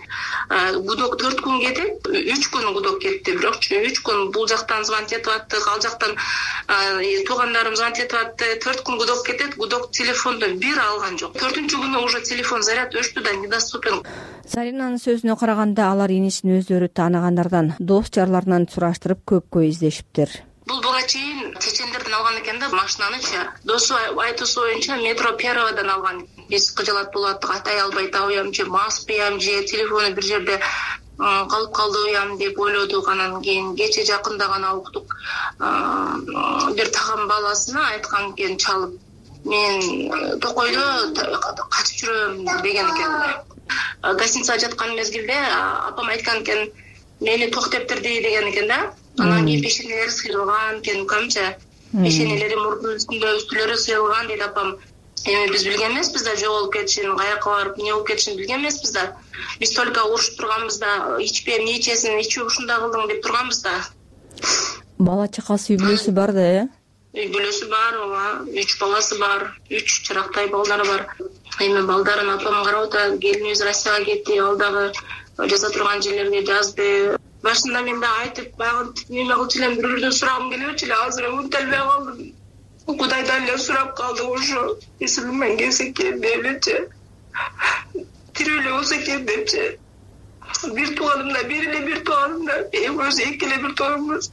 гудок 4 күн кетип, 3 күн гудок кетти. Бирок 3 күн бул жактан звонок этип аттык, ал жактан туугандарым звонок этип атты. 4 күн гудок кетет, гудок телефондо бир алган жок. 4-күнү уже телефон заряд өчтү да, недоступен. Заринанын сөзүнө караганда, алар инисин өздөрү тааныгандардан, дос жарларынан сураштырып көпкө издешиптир. Бул буга чейин чечендерден алган экен да машинанычы. Досу айтуусу боюнча метро Первадан алган. Биз кыжалат болуп аттык, айтай албай табыям же маспыям же телефону бир жерде калып калдыбыям деп ойлодук. Анан кийин кече жакында гана уктук. Бир тагам баласына айткан экен чалып, мен Токойдо качып жүрөм деген экен. Гостиницада жаткан мезгилде апам айткан экен, мени токтептирди деген экен да. Анан кийин пешенелери сыйрылган экен, камча пешенелери мурдунун үстүлөрү сыйрылган дейт апам. Эми биз билген эмеспиз да, жоголуп кетишин, каяка барып эмне болуп кетишин билген эмеспиз да. Биз только урушуп турганбыз да, ичпе, эмне ичесиң, ичип ушундай кылдың деп турганбыз да. Бала чакасы, үй бүлөсү бар да, Үй бүлөсү бар, ооба, 3 баласы бар, 3 чырактай балдары бар. Эми балдарын апам карап атат, келинибиз Россияга кетти, ал дагы жаза турган жерлерге жазды. Башында мен да айтып, баягы неме кылчу элем, бирөөрдөн сурагым келип эле, азыр унуталбай калдым. Кудайдан эле сурап калдым ошо. Эсибимен келсе экен деп элечи. Тирүү эле болсо экен депчи. Бир тууганымда, бир тууганымда, экөөбүз эки эле бир тууганбыз.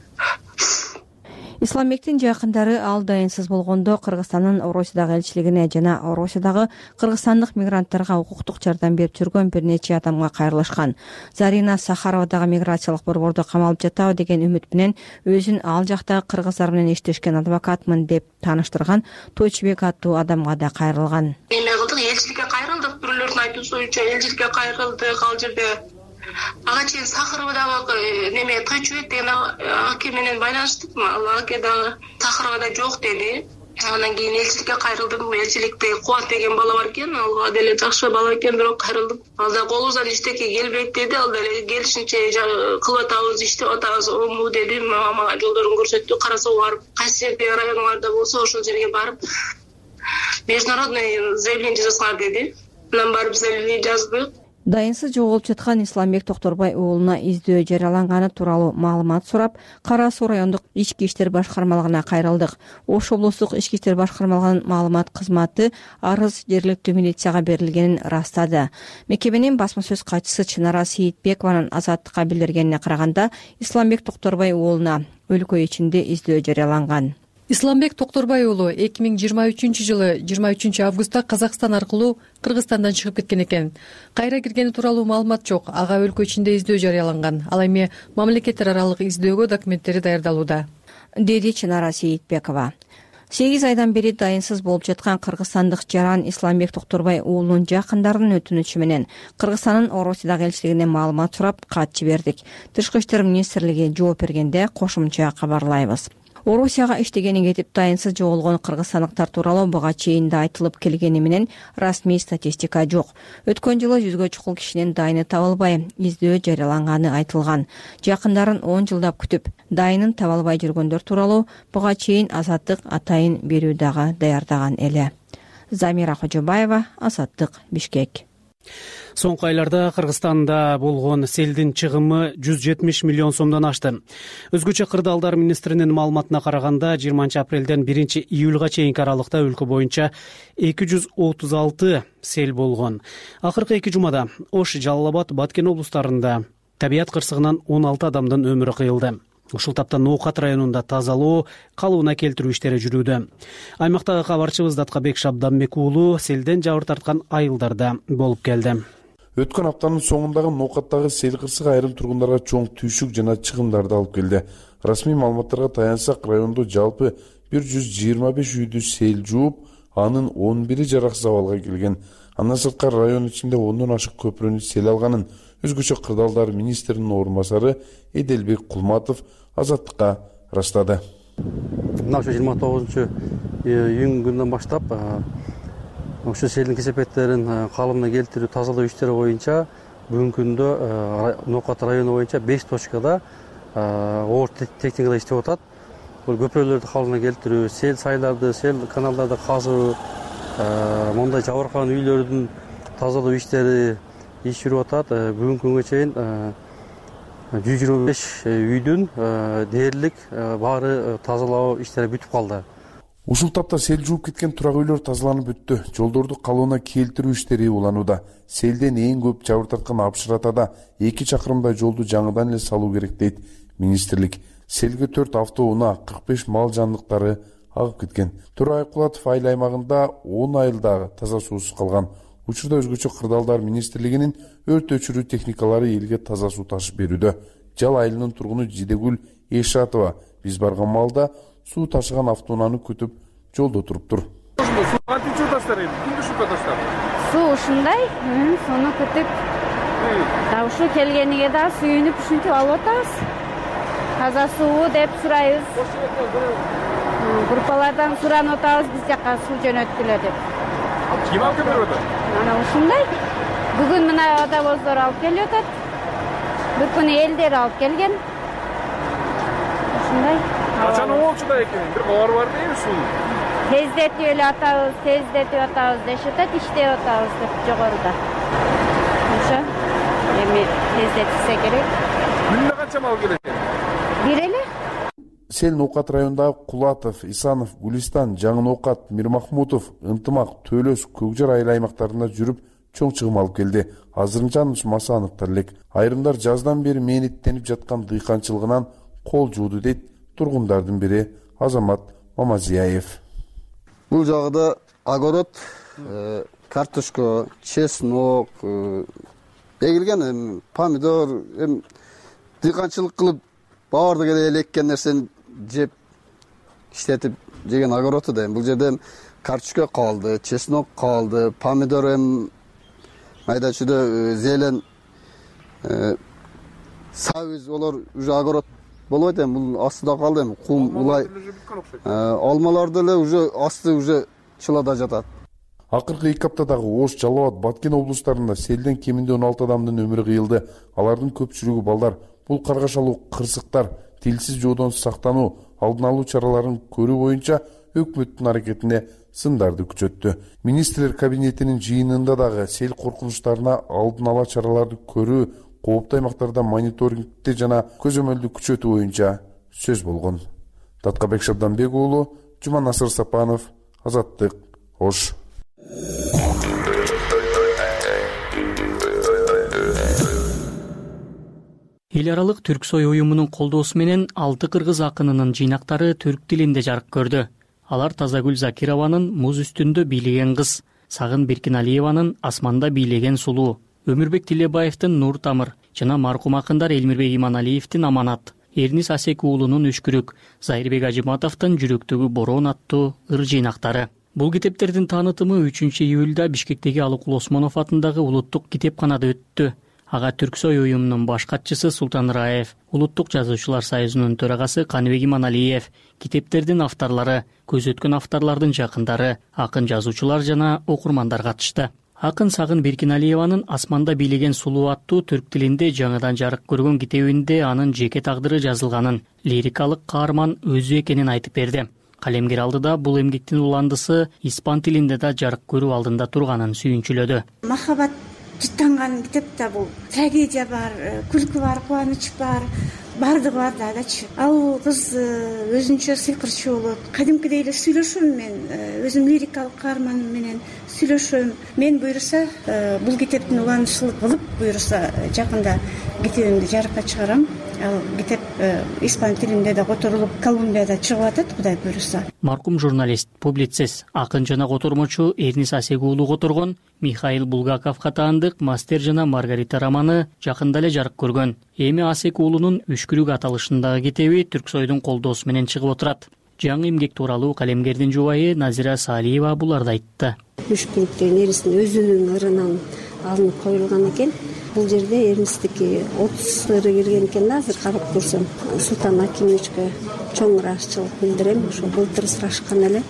Исламбектин жакындары ал дайынсыз болгондо Кыргызстандын Орусиядагы элчилигине жана Орусиядагы кыргызстандык мигранттарга укуктук жардам берип жүргөн бир нече адамга кайрылышкан. Зарина Сахаровадагы миграциялык борбордо камалып жатабы деген үмүт менен өзүн ал жактагы кыргыздар менен иштешкен адвокатмын деп тааныштырган Тойчубек аттуу адамга да кайрылган. Эме кылдык, элчиликке кайрылдык, бирөөлөрдүн айтуусу боюнча элчиликке кайрылдык, ал жерде ага чейин Сахаровадагы неме Тойчубек деген аке менен байланыштык. Ал аке дагы Сахаровада жок деди. Анан кийин элчиликке кайрылдым. Элчиликте Кубат деген бала бар экен, ал деле жакшы бала экен, бирок кайрылдым. Ал да колубуздан иштеке келбейт деди, ал деле келишинче кылып атабыз, иштеп атабыз, ому деди. Мага жолдорун көрсөттү. Карасоо барып, кайсы жерде районуларда болсо ошол жерге барып международный заявление жазсаңар деди. Анан барып заявление жаздык. Дайынсыз жоголуп жаткан Исламбек Токторбай уулуна издөө жарыяланганы тууралуу маалымат сурап, Кара Суу райондук ички иштер башкармалыгына кайрылдык. Ош облустук ички иштер башкармалыгынын маалымат кызматы арыз жергиликтүү милицияга берилгенин ырастады. Мекеменин басма сөз катчысы Чынара Сейитбекованын Азаттыкка билдиргенине караганда, Исламбек Токторбай уулуна өлкө ичинде издөө жарыяланган. Исламбек Токторбай уулу 2023 жылы 23 августта Казакстан аркылуу Кыргызстандан чыгып кеткен экен. Кайра киргени тууралуу маалымат жок. Ага өлкө ичинде издөө жарыяланган. Ал эми мамлекеттер аралык издөөгө документтери даярдалууда, деди Чынара Сейитбекова. 8 айдан бери дайынсыз болуп жаткан кыргызстандык жаран Исламбек Токторбай уулунун жакындарынын өтүнүчү менен Кыргызстандын Орусиядагы элчилигине маалымат сурап кат жибердик. Тышкы иштер министрлиги жооп бергенде кошумча кабарлайбыз. Орусияга иштегени кетип дайынсыз жоголгон кыргызстандыктар тууралуу буга чейин да айтылып келгени менен расмий статистика жок. Өткөн жылы 100гө чукул кишинин дайыны табылбай, издөө жарыяланганы айтылган. Жакындарын 10 жылдап күтүп, дайынын табылбай жүргөндөр тууралуу буга чейин Азаттык атайын берүү дагы даярдаган эле. Замира Кожобаева, Азаттык, Бишкек. Соңку айларда Кыргызстанда болгон селдин чыгымы 170 миллион сомдон ашты. Өзгөчө кырдаалдар министринин маалыматына караганда 20 апрелден 1 июлга чейинки аралыкта өлкө боюнча 236 сел болгон. Акыркы 2 жумада Ош, Жалал Абад, Баткен облустарында табият кырсыгынан 16 адамдын өмүрү кыйылды. Ушул тапта Ноокат районунда тазалоо, калыбына келтирүү иштери жүрүүдө. Аймактагы кабарчыбыз Даткабек Шабданбек уулу селден жабыр тарткан айылдарда болуп келди. Өткөн аптанын соңундагы Ноокаттагы сел кырсыгы айрым тургундарга чоң түйшүк жана чыгымдарды алып келди. Расмий маалыматтарга таянсак, райондо жалпы 125 үйдү сел жууп, анын 11 жараксыз абалга келген. Андан сырткары район ичинде 10дон ашык көпүрөнү сел алганын өзгөчө кырдаалдар министринин орун басары Эделбек Кулматов Азаттыкка ырастады. Мына ошо 29 июнь күнүнөн баштап ошо селдин кесепеттерин калыбына келтирүү, тазалоо иштери боюнча бүгүнкү күндө Ноокат району боюнча 5 точкада оор техникада иштеп атат. Бул көпүрөлөрдү калыбына келтирүү, сел сайларды, сел каналдарды казуу, мондай жабыркаган үйлөрдүн тазалоо иштери иш жүрүп атат. Бүгүнкү күнгө чейин 125 үйдүн дээрлик баары тазалоо иштери бүтүп калды. Ушул тапта сел жууп кеткен турак үйлөр тазаланып бүттү. Жолдорду калыбына келтирүү иштери уланууда. Селден эң көп жабыр тарткан Апшыратада 2 чакырымдай жолду жаңыдан эле салуу керек дейт министрлик. Селге 4 автоунаа, 45 мал жандыктары агып кеткен. Тура Айкулатов айыл аймагында 10 айылдагы таза суусуз калган. Учурда өзгөчө кырдаалдар министрлигинин өрт өчүрүү техникалары элге таза суу ташып берүүдө. Жал айылынын тургуну Жидегүл Эшатова биз барган маалда суу ташыган автоунааны күтүп жолдо туруптур. Суу кантип таштар эми? Кимди шупа таштар? Суу ушундай, суну күтүп, да ушу келгениге да сүйүнүп ушинтип алып атабыз. Таза суу деп сурайбыз. Группалардан суранып атабыз биз жака суу жөнөткүлө деп. Ким алып келип атат? Мына ушундай. Бүгүн мына водовоздор алып келип атат. Бир күнү элдер алып келген. Ушундай. Качан болчуда экен? Бир кабар бар дейби суу? Тездетип эле атабыз дешип атат, иштеп атабыз деп жогоруда. Ошо эми тездетилсе керек. Күнүнө канча мал келет экен? Бир эле. Сел Ноокат районундагы Кулатов, Исанов, Гулистан, Жаңы Ноокат, Мирмахмутов, Ынтымак, Төлөс, Көкжар айыл аймактарында жүрүп чоң чыгым алып келди. Азырынча маса аныктар элек. Айрымдар жаздан бери мээнеттенип жаткан дыйканчылыгынан кол жууду дейт тургундардын бири Азамат Мамазияев. Бул жагда огород, картошка, чеснок эгилген, помидор, дыйканчылык кылып баардык эле эккен нерсени жеп иштетип жеген огороду да. Бул жерде картошка калды, чеснок калды, помидор майда чүйдө зелен, сабыз, олар уже огород болбойт эми, бул астыда калды эми, кум улай. Алмалар деле уже асты уже чылада жатат. Акыркы 2 аптадагы Ош, Жалал Абад, Баткен облустарында селден кеминде 16 адамдын өмүрү кыйылды. Алардын көпчүлүгү балдар. Бул каргашалуу кырсыктар, тилсиз жоодон сактануу, алдын алуу чараларын көрүү боюнча өкмөттүн аракетине сындарды күчөттү. Министрлер кабинетинин жыйынында дагы сел коркунучтарына алдын ала чараларды көрүү, кооптуу аймактарда мониторингти жана көзөмөлдү күчөтүү боюнча сөз болгон. Таткабек Шабданбек уулу, Жуманасыр Сапанов, Азаттык, Ош. Эл аралык Түрксой уюмунун колдоосу менен 6 кыргыз акынынын жыйнактары түрк тилинде жарык көрдү. Алар Тазагүл Закированын Муз үстүндө бийлеген кыз, Сагын Беркиналиеванын Асманда бийлеген сулуу, Өмүрбек Тилебаевдин Нур Тамыр жана маркум акындар Элмирбек Иманалиевдин Аманат, Эрнис Асек уулунун Үшкүрүк, Зайырбек Ажыматовдун Жүрөктөгү бороон аттуу ыр жыйнактары. Бул китептердин таанытымы 3-июлда Бишкектеги Алыкул Осмонов атындагы улуттук китепканада өттү. Ага Түрксой уюмунун баш катчысы Султан Раев, Улуттук жазуучулар союзунун төрагасы Каныбек Иманалиев, китептердин авторлору, көз өткөн авторлордун жакындары, акын жазуучулар жана окурмандар катышты. Акын Сагын Беркиналиеванын Асманда бийлеген сулуу аттуу түрк тилинде жаңыдан жарык көргөн китебинде анын жеке тагдыры жазылганын, лирикалык каарман өзү экенин айтып берди. Калемгер алдыда бул эмгектин уландысы испан тилинде да жарык көрүү алдында турганын сүйүнчүлөдү. Махабат жыттанган китепте бул трагедия бар, күлкү бар, кубаныч бар, бардыгы бар дагычы. Ал кыз өзүнчө сыйкырчу болот. Кадимкидей эле сүйлөшөм мен, өзүм лирикалык каарманым менен сүйлөшөм. Мен буйруса бул китептин уланышылык кылып, буйруса жакында китебимди жарыкка чыгарам. Ал китеп испан тилинде да которулуп, Колумбияда чыгып атат, Кудай буйруса. Маркум журналист, публицист, акын жана котормочу Эрнис Асек уулу которгон Михаил Булгаковго таандык Мастер жана Маргарита романы жакында эле жарык көргөн. Эми Асек уулунун Үшкүрүк аталышындагы китеби Түрксойдун колдоосу менен чыгып отурат. Жаңы эмгек тууралуу калемгердин жубайы Назира Салиева буларды айтты. Үшкүрүк деген Эрнистин өзүнүн ырынан алынып коюлган экен. Бул жерде Эрнистики 30 ыры кирген экен да, азыр карап көрсөм. Султан Акимовичке чоң ырашчылык билдирем. Ошо былтыр сурашкан эле.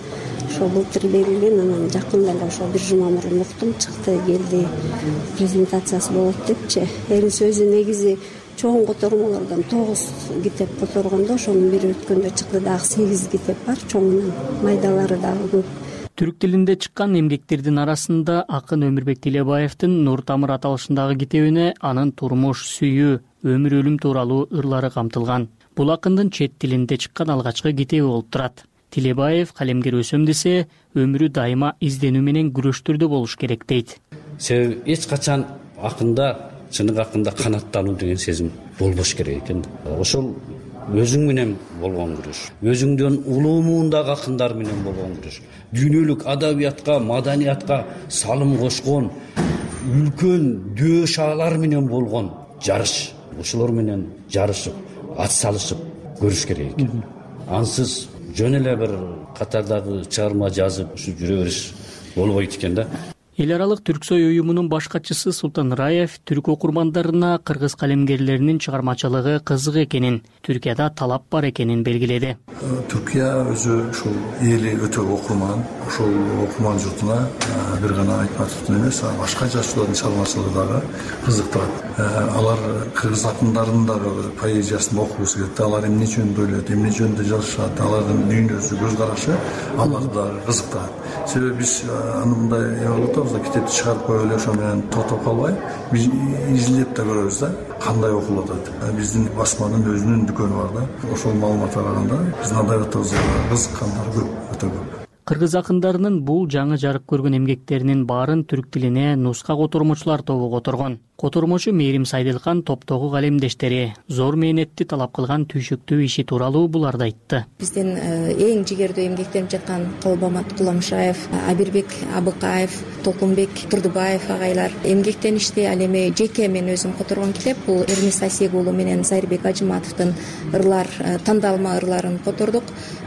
Ошо былтыр берилген, анан жакында эле ошо бир жума мурун уктум, чыкты, келди, презентациясы болот депчи. Эрнис өзү негизи чоң котормолордон 9 китеп которгондо, ошонун бири өткөндө чыкты, дагы 8 китеп бар, чоңунан майдалары дагы көп. Түрк тилинде чыккан эмгектердин арасында акын Өмүрбек Тилебаевдин Нур Тамыр аталышындагы китебине анын турмуш, сүйүү, өмүр өлүм тууралуу ырлары камтылган. Бул акындын чет тилинде чыккан алгачкы китеби болуп турат. Тилебаев калемгер өсөм десе, өмүрү дайыма изденүү менен күрөштөрдө болуш керек дейт. Себеби эч качан акында, чыныгы акында канаттануу деген сезим болбош керек экен. Ошол өзүң менен болгон күрөш, өзүңдөн улуу муундагы акындар менен болгон күрөш, дүйнөлүк адабиятка, маданиятка салым кошкон үлкөн дөө шаалар менен болгон жарыш. Ошолор менен жарышып, ат салышып көрүш керек экен. Ансыз жөн эле бир катардагы чыгарма жазып ушу жүрө бериш болбойт экен да. Эл аралык Түрксой уюмунун баш катчысы Султан Раев түрк окурмандарына кыргыз калемгерлеринин чыгармачылыгы кызык экенин, Түркияда талап бар экенин белгиледи. Түркия өзү ушул эли өтө окурман, ошол окурман журтуна бир гана Айтматовдун эмес, башка жазуучулардын чыгармачылыгы дагы кызыктырат. Алар кыргыз акындарынын дагы поэзиясын окугусу келет. Алар эмне жөнүндө ойлойт, эмне жөнүндө жазышат, алардын дүйнөсү, көз карашы аларды дагы кызыктырат. Себеби биз аны мындай китепти чыгарып коюп эле ошо менен токтоп калбай, биз изилдеп да көрөбүз да, кандай окулуп атат. Биздин басманын өзүнүн дүкөнү бар да. Ошол маалыматка караганда биздин адабиятыбызга кызыккандар көп, өтө көп. Кыргыз акындарынын бул жаңы жарык көргөн эмгектеринин баарын түрк тилине нуска котормочулар тобу которгон. Котормочу Мээрим Сайдылкан топтогу калемдештери зор мээнетти талап кылган түйшөктүү иши тууралуу буларды айтты. Биздин эң жигердүү эмгектенип жаткан Колбамат Куламшаев, Абирбек Абыкаев, Толкунбек Турдубаев агайлар эмгектеништи. Ал эми жеке мен өзүм которгон китеп бул Эрнис Асек уулу менен Зайырбек Ажыматовдун ырлар, тандалма ырларын котордук.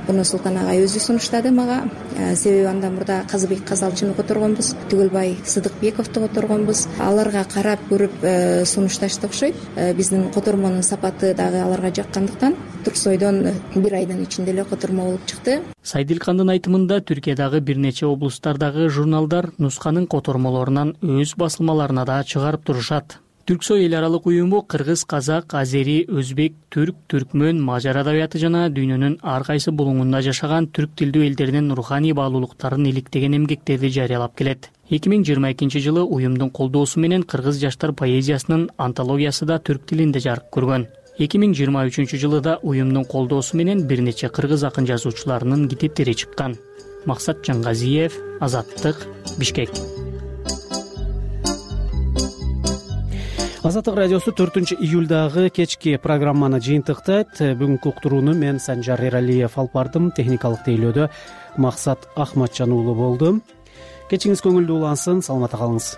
Буну Султан агай өзү сунуштады мага. себеби андан мурда Казыбек Казалчыны которгонбуз, Түгөлбай Сыдыкбековду которгонбуз. Аларга карап көрүп сунушташты окшойт. Биздин котормонун сапаты дагы аларга жаккандыктан Турксойдон бир айдын ичинде эле котормо болуп чыкты. Сайдилкандын айтымында Түркиядагы бир нече облустардагы журналдар нусканын котормолорунан өз басылмаларына да чыгарып турушат. Түрксой эл аралык уюму кыргыз, казак, азери, өзбек, түрк, түркмөн, мажар адабияты жана дүйнөнүн ар кайсы булуңунда жашаган түрк тилдүү элдердин руханий баалуулуктарын иликтеген эмгектерди жарыялап келет. 2022 жылы уюмдун колдоосу менен кыргыз жаштар поэзиясынын антологиясы да түрк тилинде жарык көргөн. 2023 жылы да уюмдун колдоосу менен бир нече кыргыз акын жазуучуларынын китептери чыккан. Максат Жаңгазиев, Азаттык, Бишкек. Азаттык радиосу 4-июлдагы кечки программаны жыйынтыктайт. Бүгүнкү уктурууну мен Санжар Эралиев алып бардым. Техникалык тейлөөдө Максат Ахматжан уулу болду. Кечиңиз көңүлдүү улансын, саламатта калыңыз.